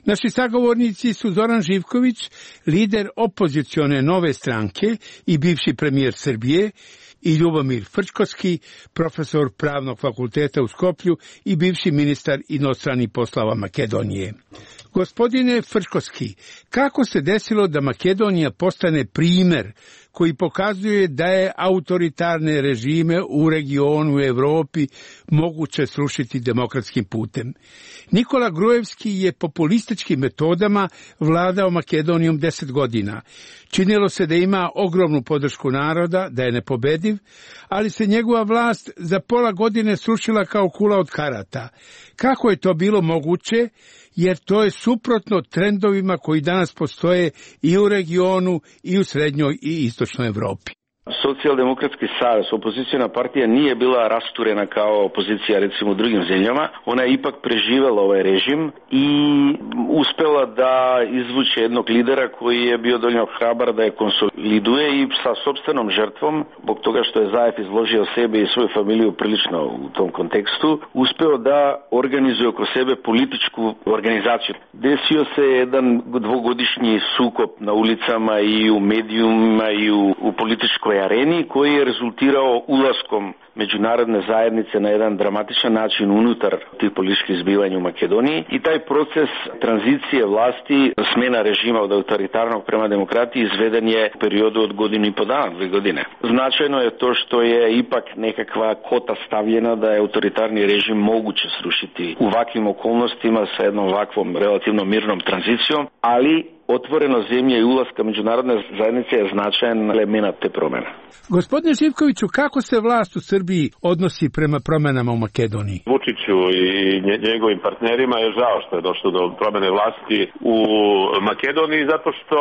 Naši sagovornici su Zoran Živković, lider opozicione Nove stranke i bivši premijer Srbije, i Ljubomir Frčkovski, profesor Pravnog fakulteta u Skoplju i bivši ministar inostranih poslova Makedonije. Gospodine Frčkovski, kako se desilo da Makedonija postane primjer koji pokazuje da je autoritarne režime u regionu u Evropi moguće srušiti demokratskim putem? Nikola Gruevski je populističkim metodama vladao Makedonijom deset godina. Činilo se da ima ogromnu podršku naroda, da je nepobediv, ali se njegova vlast za pola godine srušila kao kula od karata. Kako je to bilo moguće? Jer to je suprotno trendovima koji danas postoje i u regionu i u srednjoj i istočnoj Evropi. Socijaldemokratski savez, opoziciona partija, nije bila rasturena kao opozicija recimo u drugim zemljama. Ona je ipak preživela ovaj režim i uspela da izvuče jednog lidera koji je bio dovoljno hrabar da je konsoliduje i sa sopstvenom žrtvom, zbog toga što je Zajev izložio sebe i svoju familiju prilično u tom kontekstu, uspeo da organizuje oko sebe političku organizaciju. Desio se jedan dvogodišnji sukob na ulicama i u medijima i u, u političkoj areni koji je rezultirao ulaskom međunarodne zajednice na jedan dramatičan način unutar tih političkih zbivanja u Makedoniji i taj proces tranzicije vlasti, smjena režima od autoritarnog prema demokratiji izveden je u periodu od godinu i po dana, dvije godine. Značajno je to što je ipak nekakva kota stavljena da je autoritarni režim moguće srušiti u ovakvim okolnostima sa jednom ovakvom relativno mirnom tranzicijom, ali otvoreno zemlje i ulaska međunarodne zajednice je značajan element te promjene. Gospodine Živkoviću, kako se vlast u Srbiji odnosi prema promjenama u Makedoniji? Vučiću i njegovim partnerima je žao što je došlo do promjene vlasti u Makedoniji zato što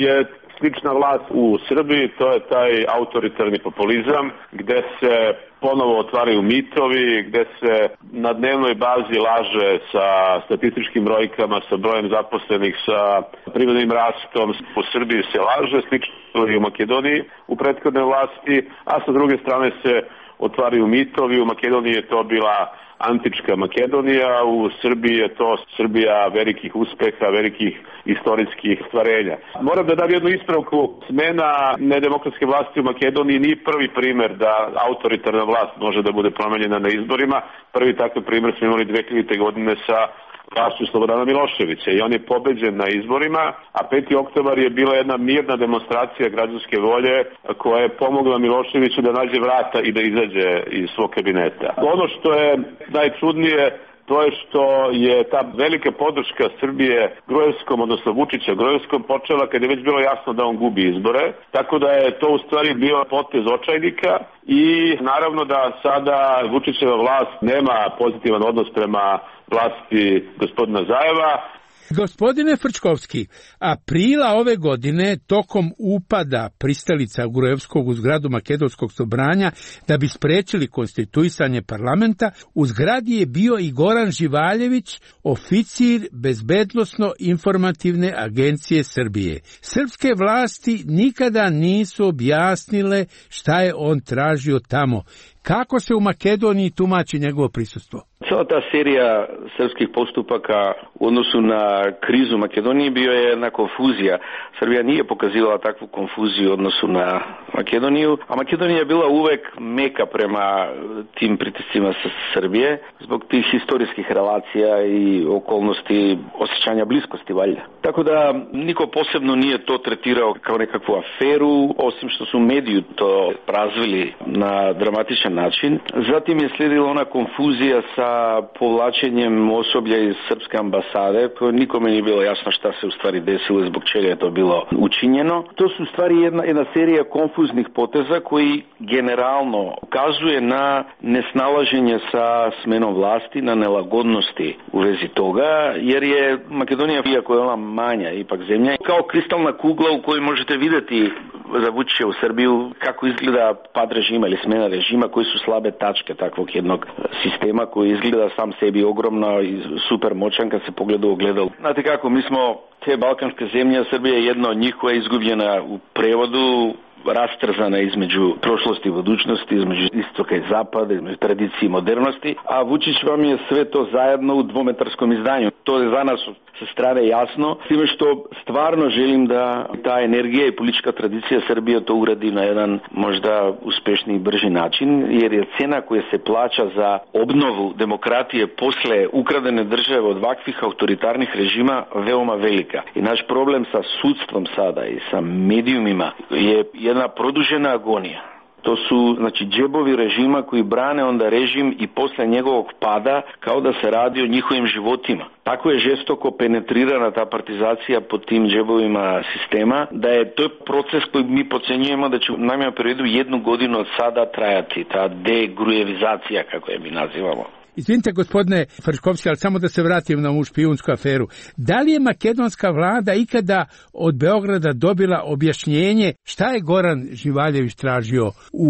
je slična vlast u Srbiji, to je taj autoritarni populizam gde se ponovo otvaraju mitovi, gde se na dnevnoj bazi laže sa statističkim brojkama, sa brojem zaposlenih, sa privrednim rastom. U Srbiji se laže, slično i u Makedoniji u prethodne vlasti, a sa druge strane se otvaraju mitovi. U Makedoniji je to bila antička Makedonija, u Srbiji je to Srbija velikih uspeha, velikih istorijskih stvarenja. Moram da dam jednu ispravku. Smena nedemokratske vlasti u Makedoniji nije prvi primer da autoritarna vlast može da bude promenjena na izborima. Prvi takav primer smo imali dve hiljadite godine sa vlašću Slobodana Miloševića i on je pobeđen na izborima, a peti oktobar je bila jedna mirna demonstracija građanske volje koja je pomogla Miloševiću da nađe vrata i da izađe iz svog kabineta. Ono što je najčudnije, to je što je ta velika podrška Srbije Gruevskom, odnosno Vučića Gruevskom, počela kad je već bilo jasno da on gubi izbore, tako da je to u stvari bio potez očajnika i naravno da sada Vučićeva vlast nema pozitivan odnos prema vlasti gospodina Zajeva. Gospodine Frčkovski, aprila ove godine tokom upada pristalica Gruevskog u zgradu Makedonskog sobranja da bi sprečili konstituisanje parlamenta, u zgradi je bio i Goran Živaljević, oficir Bezbednosno-informativne agencije Srbije. Srpske vlasti nikada nisu objasnile šta je on tražio tamo. Kako se u Makedoniji tumači njegovo prisustvo? Cela ta serija srpskih postupaka u odnosu na krizu Makedonije bio je jedna konfuzija. Srbija nije pokazivala takvu konfuziju u odnosu na Makedoniju, a Makedonija je bila uvek meka prema tim pritiscima sa Srbije zbog tih historijskih relacija i okolnosti osjećanja bliskosti valjda. Tako da niko posebno nije to tretirao kao nekakvu aferu, osim što su mediji to razvili na dramatičan način. Zatim je slijedila ona konfuzija sa povlačenjem osoblja iz srpske ambasade, koje nikome nije bilo jasno šta se u stvari desilo i zbog čega je to bilo učinjeno. To su u stvari jedna, jedna serija konfuznih poteza koji generalno ukazuje na nesnalaženje sa smenom vlasti, na nelagodnosti u vezi toga, jer je Makedonija, iako je ona manja ipak zemlja, kao kristalna kugla u kojoj možete vidjeti za Vučića u Srbiju kako izgleda pad režima ili smena režima, koji su slabe tačke takvog jednog sistema koji izgleda sam sebi ogromno i super moćan kad se pogleda u ogledalo. Znate kako, mi smo te balkanske zemlje, Srbija je jedna od njih koja je izgubljena u prevodu, rastrzana između prošlosti i budućnosti, između istoka i zapada, između tradicije i modernosti, a Vučić vam je sve to zajedno u dvometarskom izdanju. To je za nas sa strane jasno, s time što stvarno želim da ta energija i politička tradicija Srbije to uradi na jedan možda uspešniji i brži način, jer je cena koja se plaća za obnovu demokratije posle ukradene države od ovakvih autoritarnih režima veoma velika. I naš problem sa sudstvom sada i sa medijumima je jedna produžena agonija. To su, znači, džebovi režima koji brane onda režim i posle njegovog pada kao da se radi o njihovim životima. Tako je žestoko penetrirana ta partizacija pod tim džebovima sistema, da je to proces koji mi procenjujemo da će u najmanjem periodu jednu godinu od sada trajati, ta degrujevizacija, kako je mi nazivamo. Izvinite, gospodine Frčkovski, ali samo da se vratim na ovu špijunsku aferu. Da li je makedonska vlada ikada od Beograda dobila objašnjenje šta je Goran Živaljević tražio u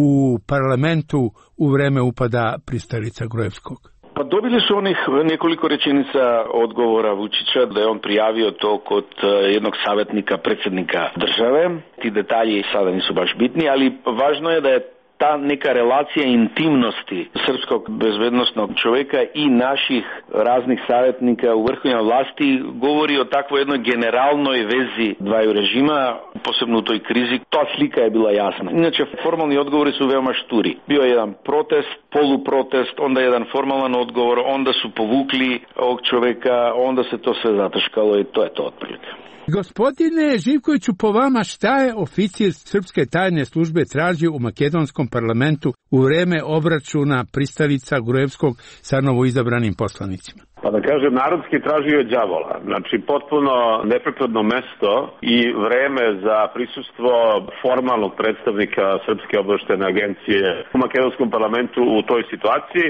parlamentu u vreme upada pristalica Gruevskog? Pa dobili su onih nekoliko rečenica odgovora Vučića da je on prijavio to kod jednog savjetnika predsjednika države. Ti detalji sada nisu baš bitni, ali važno je da je ta neka relacija intimnosti srpskog bezbednostnog čovjeka i naših raznih savjetnika u vrhovnoj vlasti govori o takvoj jednoj generalnoj vezi dvaju režima, posebno u toj krizi. Ta slika je bila jasna. Inače, formalni odgovori su veoma šturi. Bio je jedan protest, poluprotest, onda jedan formalan odgovor, onda su povukli ovog čovjeka, onda se to sve zataškalo i to je to otprilike. Gospodine Živkoviću, po vama šta je oficir srpske tajne službe tražio u makedonskom parlamentu u vreme obračuna pristalica Gruevskog sa novoizabranim poslanicima? Pa da kažem, narodski tražio je đavola. Znači, potpuno neprikladno mesto i vreme za prisustvo formalnog predstavnika Srpske obaveštajne agencije u makedonskom parlamentu u toj situaciji.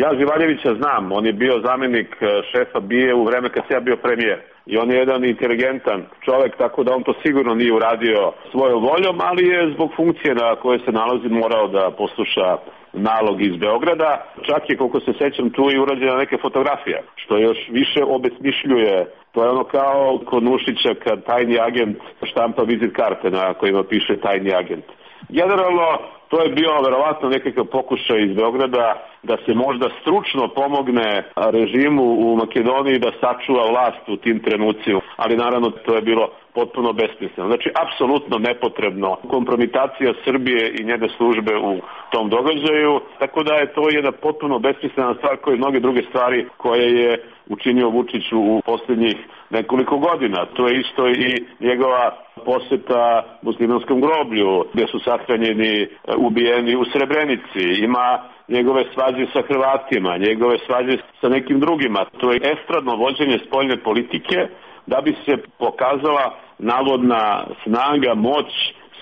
Ja Živaljevića znam, on je bio zamjenik šefa B I A u vreme kad sam ja bio premijer. i on je jedan inteligentan čovjek, tako da on to sigurno nije uradio svojom voljom, ali je zbog funkcije na kojoj se nalazi morao da posluša nalog iz Beograda. Čak je, koliko se sećam, tu i urađena neke fotografije, što još više obesmišljuje. To je ono kao kod Nušića kad tajni agent štampa vizit karte na kojima piše tajni agent. Generalno, to je bio verovatno nekakav pokušaj iz Beograda da se možda stručno pomogne režimu u Makedoniji da sačuva vlast u tim trenucima, ali naravno to je bilo potpuno besmisleno. Znači, apsolutno nepotrebno kompromitacija Srbije i njene službe u tom događaju, tako da je to jedna potpuno besmislena stvar kao i mnoge druge stvari koje je učinio Vučić u posljednjih nekoliko godina. To je isto i njegova poseta muslimanskom groblju, gdje su sahranjeni, ubijeni u Srebrenici. Ima njegove svađe sa Hrvatima, njegove svađe sa nekim drugima. To je estradno vođenje spoljne politike da bi se pokazala navodna snaga, moć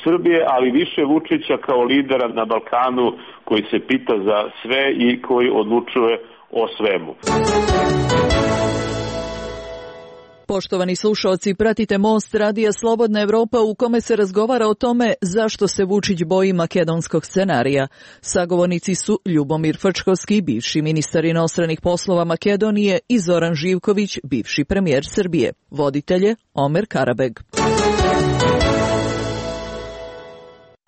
Srbije, ali više Vučića kao lidera na Balkanu koji se pita za sve i koji odlučuje o svemu. Poštovani slušalci, pratite Most radija Slobodna Evropa u kome se razgovara o tome zašto se Vučić boji makedonskog scenarija. Sagovornici su Ljubomir Frčkovski, bivši ministar inostranih poslova Makedonije, i Zoran Živković, bivši premijer Srbije. Voditelje Omer Karabeg.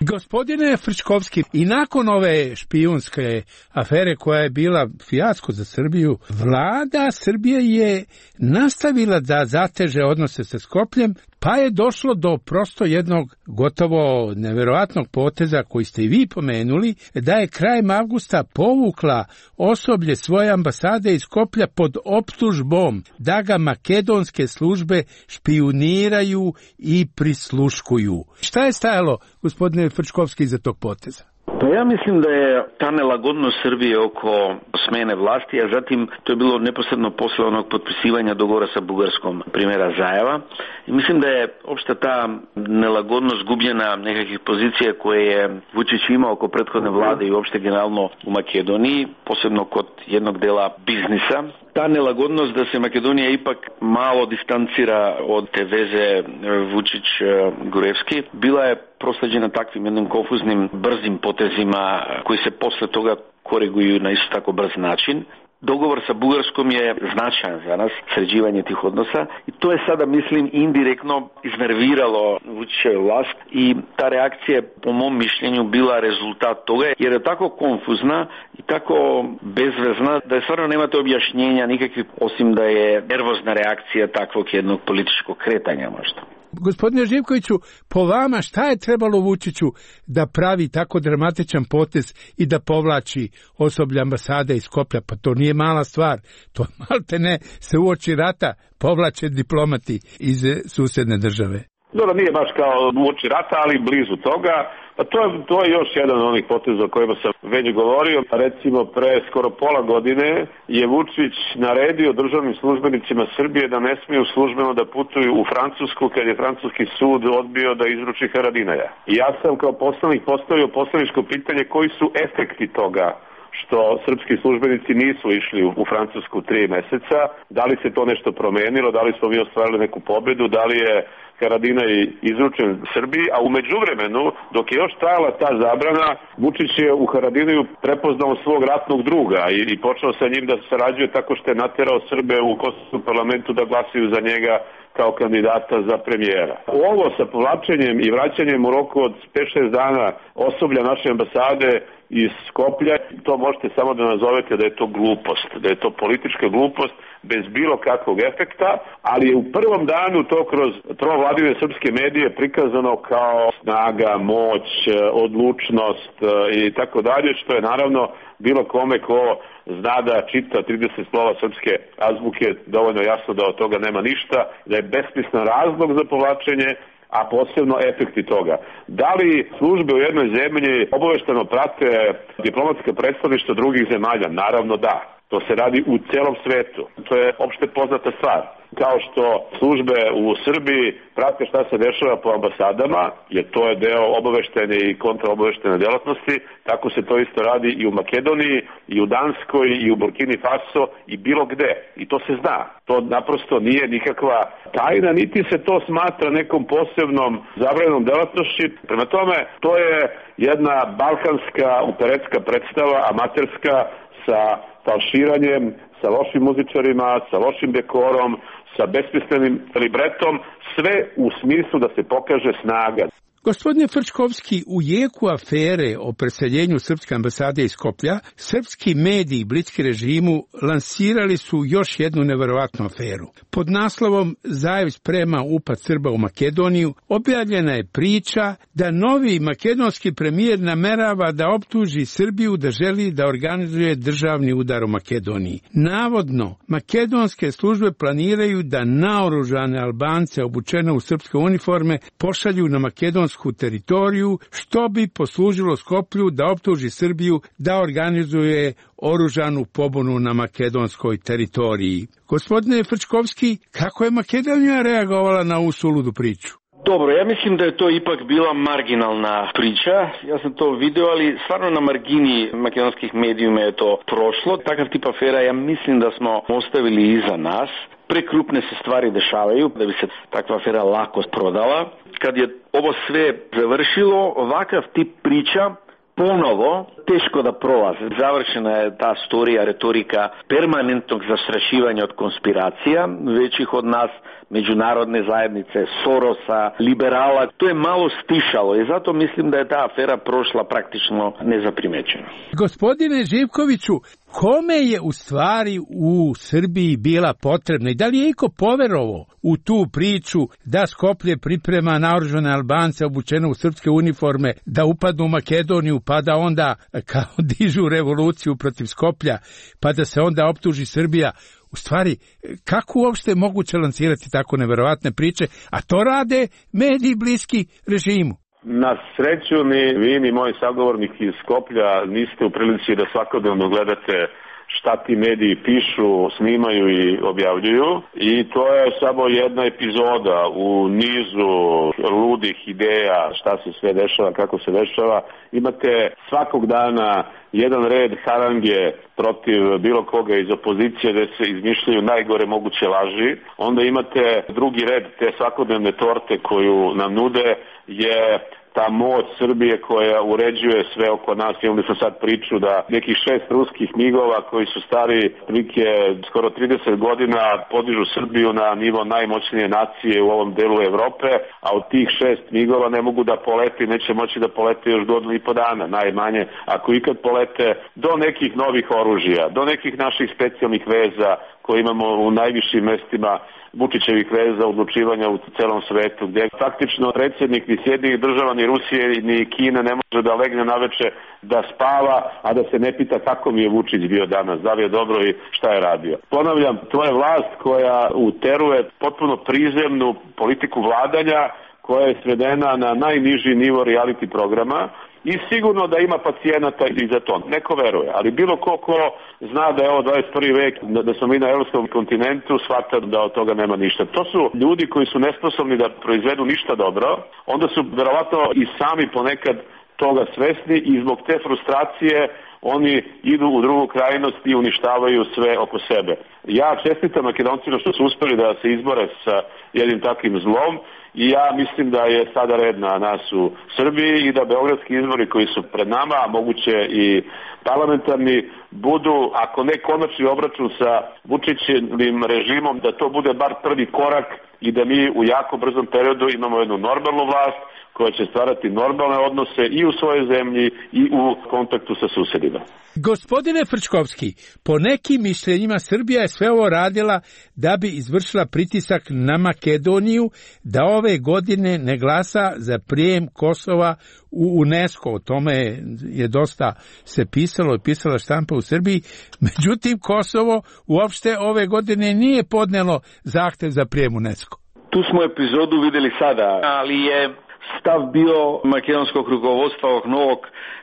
Gospodine Frčkovski, i nakon ove špijunske afere koja je bila fijasko za Srbiju, vlada Srbije je nastavila da zateže odnose sa Skopljem, pa je došlo do prosto jednog gotovo neverovatnog poteza koji ste i vi pomenuli, da je krajem avgusta povukla osoblje svoje ambasade iz Skoplja pod optužbom da ga makedonske službe špijuniraju i prisluškuju. Šta je stajalo, gospodine Frčkovski, iza tog poteza? Pa ja mislim da je ta nelagodnost Srbije oko smene vlasti, a zatim to je bilo neposredno posle onog potpisivanja dogovora sa Bugarskom primjera Zajeva. I mislim da je opšta ta nelagodnost gubljena nekakvih pozicija koje je Vučić imao oko prethodne vlade i uopšte generalno u Makedoniji, posebno kod jednog dela biznisa. Ta nelagodnost da se Makedonija ipak malo distancira od te veze Vučić-Gurevski bila je prosleđena takvim jednim konfuznim, brzim potezima koji se posle toga koriguju na isto tako brz način. Dogovor sa Bugarskom je značajan za nas, sređivanje tih odnosa, i to je sada, mislim, indirektno iznerviralo Vučićevu vlast i ta reakcija je, po mom mišljenju, bila rezultat toga, jer je tako konfuzna i tako bezvezna da je stvarno nemate objašnjenja nikakvih, osim da je nervozna reakcija takvog jednog političkog kretanja možda. Gospodine Živkoviću, po vama šta je trebalo Vučiću da pravi tako dramatičan potez i da povlači osoblje ambasade iz Skoplja? Pa to nije mala stvar, to malte ne se uoči rata povlače diplomati iz susedne države. Dobro, nije baš kao uoči rata, ali blizu toga. Pa to je, to je još jedan od onih poteza o kojima sam već govorio. Recimo, pre skoro pola godine je Vučić naredio državnim službenicima Srbije da ne smiju službeno da putuju u Francusku kad je francuski sud odbio da izruči Haradinaja. I ja sam kao poslanik postavio poslaničko pitanje koji su efekti toga što srpski službenici nisu išli u Francusku tri meseca. Da li se to nešto promenilo, da li smo mi ostvarili neku pobedu, da li je Haradinaj izručen Srbiji, a u međuvremenu, dok je još trajala ta zabrana, Vučić je u Haradinaju prepoznao svog ratnog druga i, i počeo sa njim da sarađuje tako što je naterao Srbe u kosovskom parlamentu da glasaju za njega kao kandidata za premijera. Ovo sa povlačenjem i vraćanjem u roku od pet šest dana osoblja naše ambasade iz Skoplja, to možete samo da nazovete da je to glupost, da je to politička glupost bez bilo kakvog efekta, ali je u prvom danu to kroz trovladine srpske medije prikazano kao snaga, moć, odlučnost i tako dalje, što je naravno bilo kome ko zna da čita trideset slova srpske azbuke dovoljno jasno da od toga nema ništa, da je besmislen razlog za povlačenje, a posebno efekti toga. Da li službe u jednoj zemlji obavešteno prate diplomatska predstavništva drugih zemalja? Naravno da. To se radi u celom svetu. To je opšte poznata stvar. Kao što službe u Srbiji prate šta se dešava po ambasadama, jer to je deo obaveštene i kontraobaveštene delatnosti, tako se to isto radi i u Makedoniji, i u Danskoj, i u Burkini Faso, i bilo gde. I to se zna. To naprosto nije nikakva tajna, niti se to smatra nekom posebnom zabranjenom delatnošću. Prema tome, to je jedna balkanska operetska predstava, amaterska, sa falširanjem, sa lošim muzičarima, sa lošim dekorom, sa besmislenim libretom, sve u smislu da se pokaže snaga. Gospodine Frčkovski, u jeku afere o preseljenju srpske ambasade iz Skoplja, srpski mediji bliski režimu lansirali su još jednu neverovatnu aferu. Pod naslovom Zajev sprema upad Srba u Makedoniju objavljena je priča da novi makedonski premijer namerava da optuži Srbiju da želi da organizuje državni udar u Makedoniji. Navodno, makedonske službe planiraju da naoružane Albance obučene u srpske uniforme pošalju na makedonsku teritoriju, što bi poslužilo Skoplju da optuži Srbiju da organizuje oružanu pobunu na makedonskoj teritoriji. Gospodine Frčkovski, kako je Makedonija reagovala na ovu suludu priču? Dobro, ja mislim da je to ipak bila marginalna priča. Ja sam to video, ali stvarno na margini makedonskih medijuma je to prošlo. Takav tip afera ja mislim da smo ostavili iza nas. Prekrupne se stvari dešavaju da bi se takva afera lako prodala. Kad je ovo sve završilo, ovakav tip priča ponovo teško da prolaze. Završena je ta storija, retorika permanentnog zastrašivanja od konspiracija, većih od nas, međunarodne zajednice, Sorosa, liberala. To je malo stišalo i zato mislim da je ta afera prošla praktično nezaprimećena. Gospodine Živkoviću, kome je u stvari u Srbiji bila potrebna i da li je iko poverovao u tu priču da Skoplje priprema naoružane Albance obučene u srpske uniforme da upadnu u Makedoniju pa da onda kao dižu revoluciju protiv Skoplja pa da se onda optuži Srbija? U stvari, kako uopšte je moguće lansirati tako neverovatne priče, a to rade mediji bliski režimu? Na sreću ni vi ni moj sagovornik iz Skoplja niste u prilici da svakodnevno gledate šta ti mediji pišu, snimaju i objavljuju i to je samo jedna epizoda u nizu ludih ideja šta se sve dešava, kako se dešava. Imate svakog dana jedan red harange protiv bilo koga iz opozicije gde se izmišljaju najgore moguće laži. Onda imate drugi red te svakodnevne torte koju nam nude je ta moć Srbije koja uređuje sve oko nas. Imali smo sad priču da nekih šest ruskih migova koji su stari prilike skoro trideset godina podižu Srbiju na nivo najmoćnije nacije u ovom delu Evrope, a od tih šest migova ne mogu da polete i neće moći da polete još godinu i po dana, najmanje, ako ikad polete, do nekih novih oružja, do nekih naših specijalnih veza koje imamo u najvišim mestima Vučićevih veza odlučivanja u celom svetu, gde faktično predsjednik ni Sjedinjenih država, ni Rusije, ni Kine ne može da legne naveče da spava, a da se ne pita kako mi je Vučić bio danas, da li je dobro i šta je radio. Ponavljam, to je vlast koja uteruje potpuno prizemnu politiku vladanja, koja je svedena na najniži nivo reality programa, i sigurno da ima pacijenata i za to. Neko veruje, ali bilo ko ko zna da je ovo dvadeset prvi vek, da smo mi na evropskom kontinentu, shvata da od toga nema ništa. To su ljudi koji su nesposobni da proizvedu ništa dobro, onda su verovatno i sami ponekad toga svesni i zbog te frustracije oni idu u drugu krajnost i uništavaju sve oko sebe. Ja čestitam Makedoncima što su uspeli da se izbore sa jednim takvim zlom i ja mislim da je sada red na nas u Srbiji i da beogradski izbori koji su pred nama, a moguće i parlamentarni, budu, ako ne konačni obračun sa Vučićevim režimom, da to bude bar prvi korak i da mi u jako brzom periodu imamo jednu normalnu vlast koja će stvarati normalne odnose i u svojoj zemlji i u kontaktu sa susedima. Gospodine Frčkovski, po nekim mišljenjima Srbija je sve ovo radila da bi izvršila pritisak na Makedoniju da ove godine ne glasa za prijem Kosova u UNESCO. O tome je dosta se pisalo i pisala štampa u Srbiji. Međutim, Kosovo uopšte ove godine nije podnelo zahtev za prijem UNESCO. Tu smo epizodu videli sada, ali je stav bio makedonskog rukovodstva ovog novog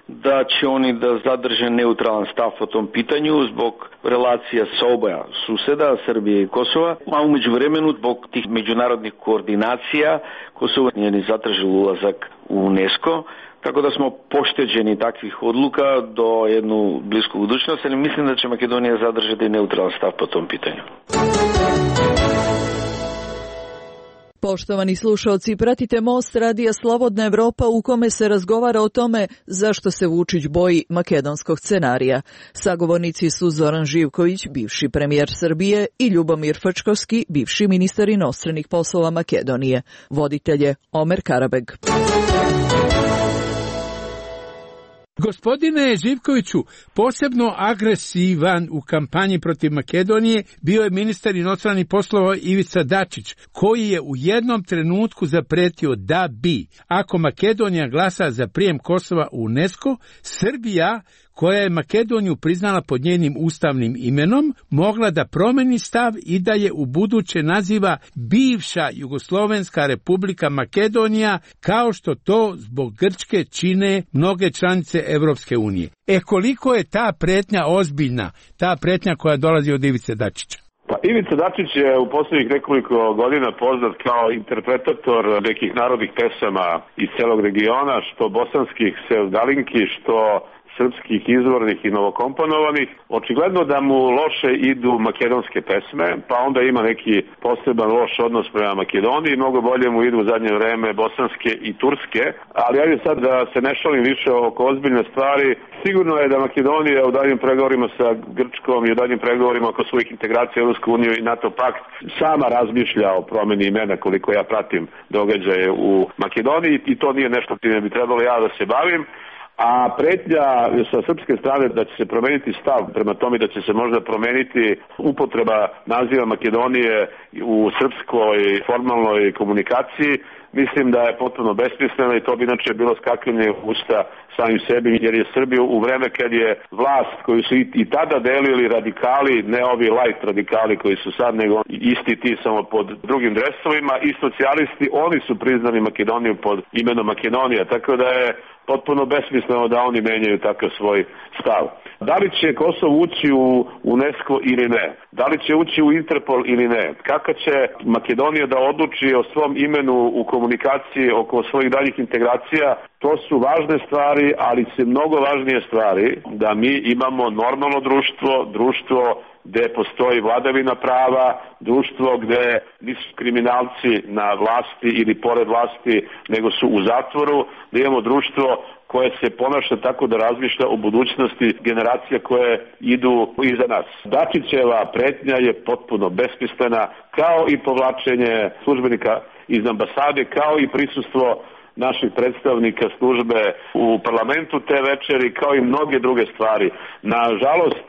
da će oni da zadrže neutralan stav po tom pitanju zbog relacija sa oboja suseda, Srbije i Kosova, a umeđu vremenu zbog tih međunarodnih koordinacija Kosovo nije ni zatražilo ulazak u UNESCO, tako da smo pošteđeni takvih odluka do jednu blisku budućnost, ali mislim da će Makedonija zadržati neutralan stav po tom pitanju. Poštovani slušaoci, pratite Most radija Slobodna Evropa u kome se razgovara o tome zašto se Vučić boji makedonskog scenarija. Sagovornici su Zoran Živković, bivši premijer Srbije, i Ljubomir Frčkovski, bivši ministar inostranih poslova Makedonije. Voditelj je Omer Karabeg. Gospodine Živkoviću, posebno agresivan u kampanji protiv Makedonije bio je ministar inostranih poslova Ivica Dačić, koji je u jednom trenutku zapretio da bi, ako Makedonija glasa za prijem Kosova u UNESCO, Srbija, koja je Makedoniju priznala pod njenim ustavnim imenom, mogla da promeni stav i da je u buduće naziva bivša Jugoslovenska republika Makedonija, kao što to zbog Grčke čine mnoge članice Evropske unije. E koliko je ta pretnja ozbiljna, ta pretnja koja dolazi od Ivice Dačića? Pa Ivica Dačić je u posljednjih nekoliko godina poznat kao interpretator nekih narodnih pesama iz celog regiona, što bosanskih sevdalinki, što srpskih izvornih i novokomponovanih. Očigledno da mu loše idu makedonske pesme, pa onda ima neki poseban loš odnos prema Makedoniji, mnogo bolje mu idu u zadnje vreme bosanske i turske, ali ajde sad da se ne šalim više oko ozbiljne stvari. Sigurno je da Makedonija u daljim pregovorima sa Grčkom i u daljim pregovorima oko svojih integracija u Europsku uniju i NATO pakt sama razmišlja o promeni imena, koliko ja pratim događaje u Makedoniji, i to nije nešto čime bi trebalo ja da se bavim. A pretnja sa srpske strane da će se promeniti stav prema tome da će se možda promeniti upotreba naziva Makedonije u srpskoj formalnoj komunikaciji, mislim da je potpuno besmisleno i to bi inače bilo skakanje usta samim sebi, jer je Srbiju u vreme kad je vlast koju su i, i tada delili radikali, ne ovi light radikali koji su sad, nego isti ti samo pod drugim dresovima, i socijalisti, oni su priznali Makedoniju pod imenom Makedonija, tako da je potpuno besmisleno da oni menjaju takav svoj stav. Da li će Kosovo ući u UNESCO ili ne? Da li će ući u Interpol ili ne? Kako će Makedonija da odluči o svom imenu u komunikaciji oko svojih daljih integracija? To su važne stvari, ali se mnogo važnije stvari da mi imamo normalno društvo, društvo gde postoji vladavina prava, društvo gde nisu kriminalci na vlasti ili pored vlasti, nego su u zatvoru, da imamo društvo koje se ponaša tako da razmišlja o budućnosti generacija koje idu iza nas. Dačićeva pretnja je potpuno besmislena, kao i povlačenje službenika iz ambasade, kao i prisustvo naših predstavnika službe u parlamentu te večeri, kao i mnoge druge stvari. Nažalost,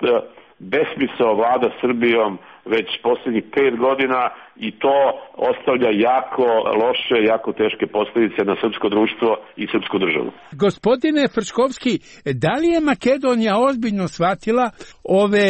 besmisao vlada Srbijom već posljednjih pet godina i to ostavlja jako loše, jako teške posljedice na srpsko društvo i srpsku državu. Gospodine Frčkovski, da li je Makedonija ozbiljno shvatila ove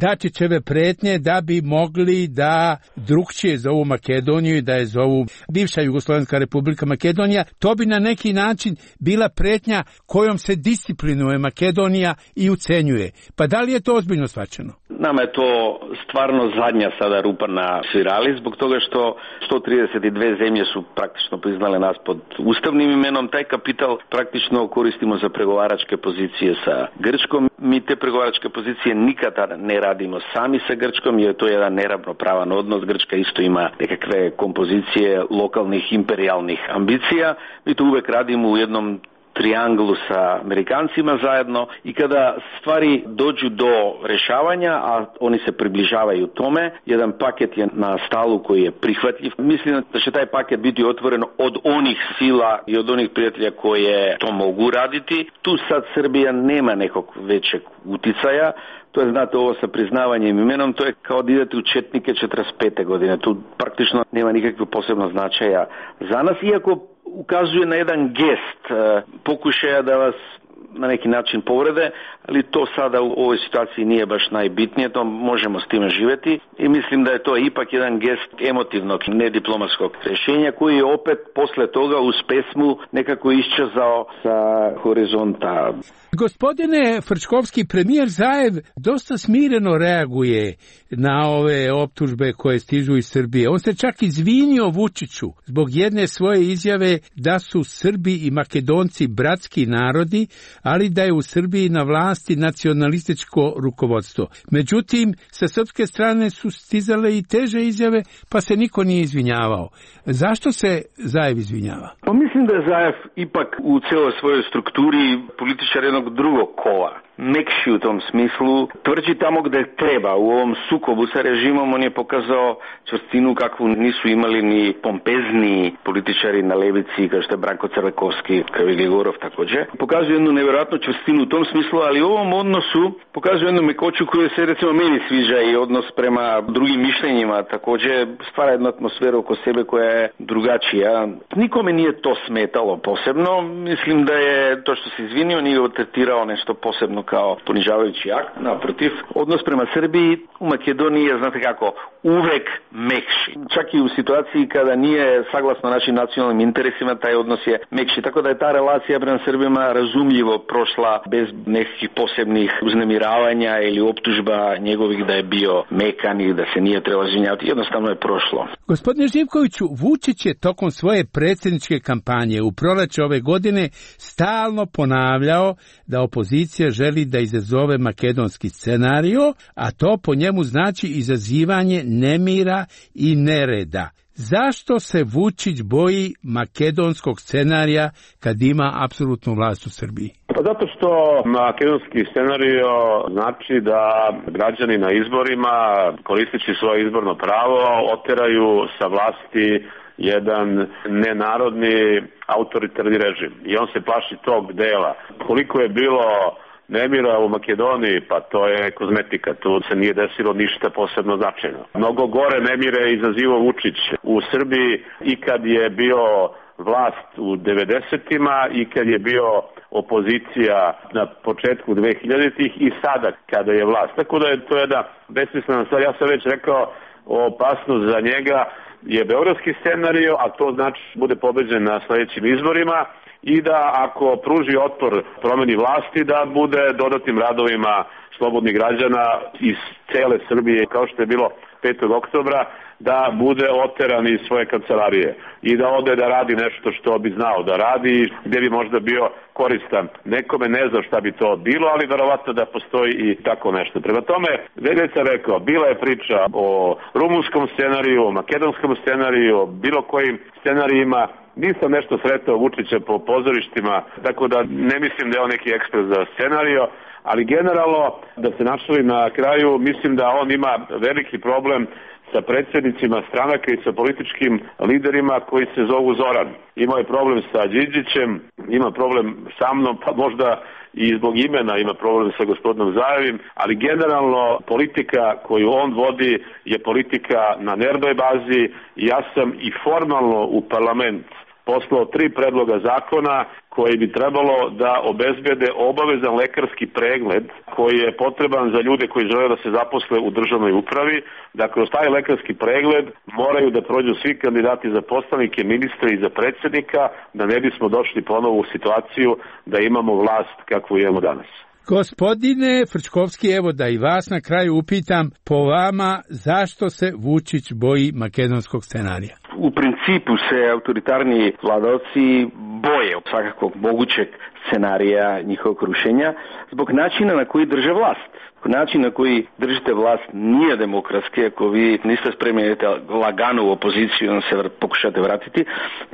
Dačićeve pretnje da bi mogli da drugčije zovu Makedoniju i da je zovu bivša Jugoslovenska republika Makedonija? To bi na neki način bila pretnja kojom se disciplinuje Makedonija i ucenjuje. Pa da li je to ozbiljno shvaćeno? Nama je to stvarno zadnja sada rupa na svirali, zbog toga što sto trideset dve zemlje su praktično priznale nas pod ustavnim imenom. Taj kapital praktično koristimo za pregovaračke pozicije sa Grčkom. Mi te pregovaračke pozicije nikada ne radimo sami sa Grčkom, jer to je jedan neravnopravan odnos. Grčka isto ima nekakve kompozicije lokalnih imperijalnih ambicija. Mi to uvek radimo u jednom trianglu sa Amerikancima zajedno, i kada stvari dođu do rešavanja, a oni se približavaju tome, jedan paket je na stalu koji je prihvatljiv. Mislim da će taj paket biti otvoren od onih sila i od onih prijatelja koje to mogu raditi. Tu sad Srbija nema nekog većeg uticaja. To je, znate, ovo sa priznavanjem imenom, to je kao da idete u četnike četrdeset pete godine. Tu praktično nema nikakvog posebnog značaja za nas, iako ukazuje na jedan gest pokušaja da vas na neki način povrede, ali to sada u ovoj situaciji nije baš najbitnije, to možemo s time živjeti i mislim da je to ipak jedan gest emotivnog, nediplomatskog rješenja koji je opet posle toga uz pesmu nekako iščezao sa horizonta. Gospodine Frčkovski, premijer Zaev dosta smireno reaguje na ove optužbe koje stižu iz Srbije. On se čak izvinio Vučiću zbog jedne svoje izjave da su Srbi i Makedonci bratski narodi, ali da je u Srbiji na vlasti nacionalističko rukovodstvo. Međutim, sa srpske strane su stizale i teže izjave, pa se niko nije izvinjavao. Zašto se Zaev izvinjava? Pa mislim da je Zaev ipak u celoj svojoj strukturi političar jednog drugog kola. Mekši u tom smislu, tvrđi tamo gde treba. U ovom sukobu sa režimom on je pokazao čvrstinu kakvu nisu imali ni pompezni političari na levici, kao što je Branko Crvekovski, kao i Gligorov također. Pokazuje jednu nevjerojatnu čvrstinu u tom smislu, ali u ovom odnosu pokazuje jednu mekoću koju se recimo meni sviđa i odnos prema drugim mišljenjima. Također stvara jednu atmosferu oko sebe koja je drugačija. Nikome nije to smetalo posebno. Mislim da je to što se izvinio nije tretirao nešto posebno kao ponižavajući akt, naprotiv. Odnos prema Srbiji u Makedoniji je, znate kako, uvek mekši. Čak i u situaciji kada nije saglasno našim nacionalnim interesima, taj odnos je mekši. Tako da je ta relacija prema Srbima razumljivo prošla bez nekih posebnih uznemiravanja ili optužba njegovih da je bio mekan i da se nije trebalo izvinjavati. Jednostavno je prošlo. Gospodine Živkoviću, Vučić je tokom svoje predsjedničke kampanje u proleće ove godine stalno ponavljao da opozicija želi da izazove makedonski scenario, a to po njemu znači izazivanje nemira i nereda. Zašto se Vučić boji makedonskog scenarija kad ima apsolutnu vlast u Srbiji? Pa zato što makedonski scenario znači da građani na izborima, koristeći svoje izborno pravo, oteraju sa vlasti jedan nenarodni autoritarni režim. I on se plaši tog dela. Koliko je bilo nemira u Makedoniji, pa to je kozmetika, tu se nije desilo ništa posebno značajno. Mnogo gore nemire izazivo Vučić u Srbiji i kad je bio vlast u devedesetima i kad je bio opozicija na početku dvehiljaditih i sada kada je vlast. Tako da je to jedna besmislena stvar. Ja sam već rekao, opasnost za njega je beogradski scenario, a to znači bude pobeđen na sledećim izborima i da ako pruži otpor promeni vlasti, da bude dodatnim radovima slobodnih građana iz cele Srbije, kao što je bilo petog oktobra, da bude oteran iz svoje kancelarije i da ode da radi nešto što bi znao da radi, gdje bi možda bio koristan. Nekome ne zna šta bi to bilo, ali verovatno da postoji i tako nešto. Prema tome, već sam rekao, bila je priča o rumunskom scenariju, o makedonskom scenariju, o bilo kojim scenarijima. Nisam nešto sretao Vučića po pozorištima, tako da ne mislim da je on neki ekspert za scenario, ali generalno, da se našalim na kraju, mislim da on ima veliki problem sa predsjednicima stranaka i sa političkim liderima koji se zovu Zoran. Imao je problem sa Đinđićem, ima problem sa mnom, pa možda i zbog imena ima problem sa gospodinom Zaevim, ali generalno politika koju on vodi je politika na nervnoj bazi i ja sam i formalno u parlament poslao tri predloga zakona koji bi trebalo da obezbede obavezan lekarski pregled koji je potreban za ljude koji žele da se zaposle u državnoj upravi. Da kroz taj lekarski pregled moraju da prođu svi kandidati za poslanike, ministre i za predsjednika, da ne bismo došli ponovo u situaciju da imamo vlast kakvu imamo danas. Gospodine Frčkovski, evo da i vas na kraju upitam, po vama zašto se Vučić boji makedonskog scenarija? U principu se autoritarni vladavci boje od svakakvog mogućeg scenarija njihovog rušenja zbog načina na koji drže vlast. Način na koji držite vlast nije demokratski, ako vi niste spremni lagano u opoziciju i se pokušate vratiti.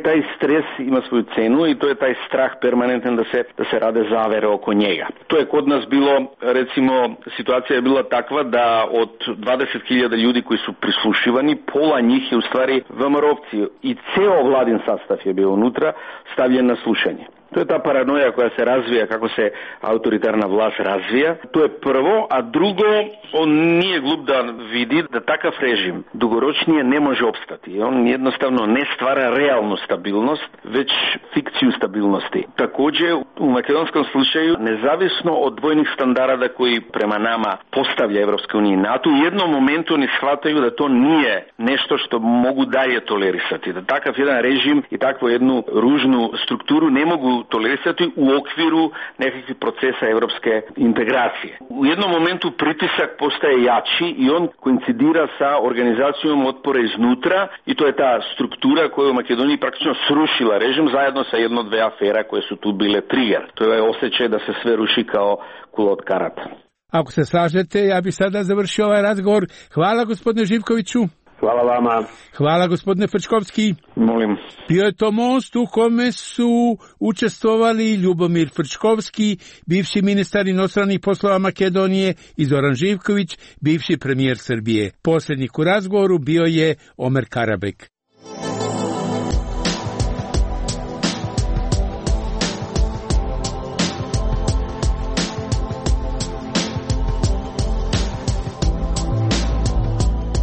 Taj stres ima svoju cenu i to je taj strah permanentan da se, da se rade zavere oko njega. To je kod nas bilo, recimo, situacija je bila takva da od dvadeset hiljada ljudi koji su prislušivani, pola njih je u stvari V M R-ovci i ceo vladin sastav je bio unutra stavljen na slušanje. To je ta paranoja koja se razvija kako se autoritarna vlast razvija. To je prvo, a drugo, on nije glup da vidi da takav režim dugoročnije ne može opstati. On jednostavno ne stvara realnu stabilnost, već fikciju stabilnosti. Također, u makedonskom slučaju, nezavisno od dvojnih standarda koji prema nama postavlja Evropska unija i NATO, u jednom momentu oni shvataju da to nije nešto što mogu dalje tolerisati. Da takav jedan režim i takvu jednu ružnu strukturu ne mogu tolerisati u okviru nekakvih procesa evropske integracije. U jednom momentu pritisak postaje jači i on koincidira sa organizacijom otpora iznutra i to je ta struktura koja je u Makedoniji praktično srušila režim zajedno sa jedno dve afera koje su tu bile trigger. To je osjećaj da se sve ruši kao kula od karata. Ako se slažete, ja bi sada završio ovaj razgovor. Hvala gospodine Živkoviću. Hvala vama. Hvala gospodine Frčkovski. Molim. Bio je to most u kome su učestvovali Ljubomir Frčkovski, bivši ministar inostranih poslova Makedonije, i Zoran Živković, bivši premijer Srbije. Posljednik u razgovoru bio je Omer Karabek.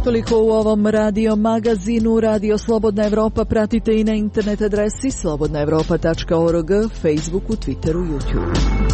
Toliko u ovom radio magazinu. Radio Slobodna Evropa pratite i na internet adresi slobodna evropa tačka org, Facebooku, Twitteru, YouTubeu.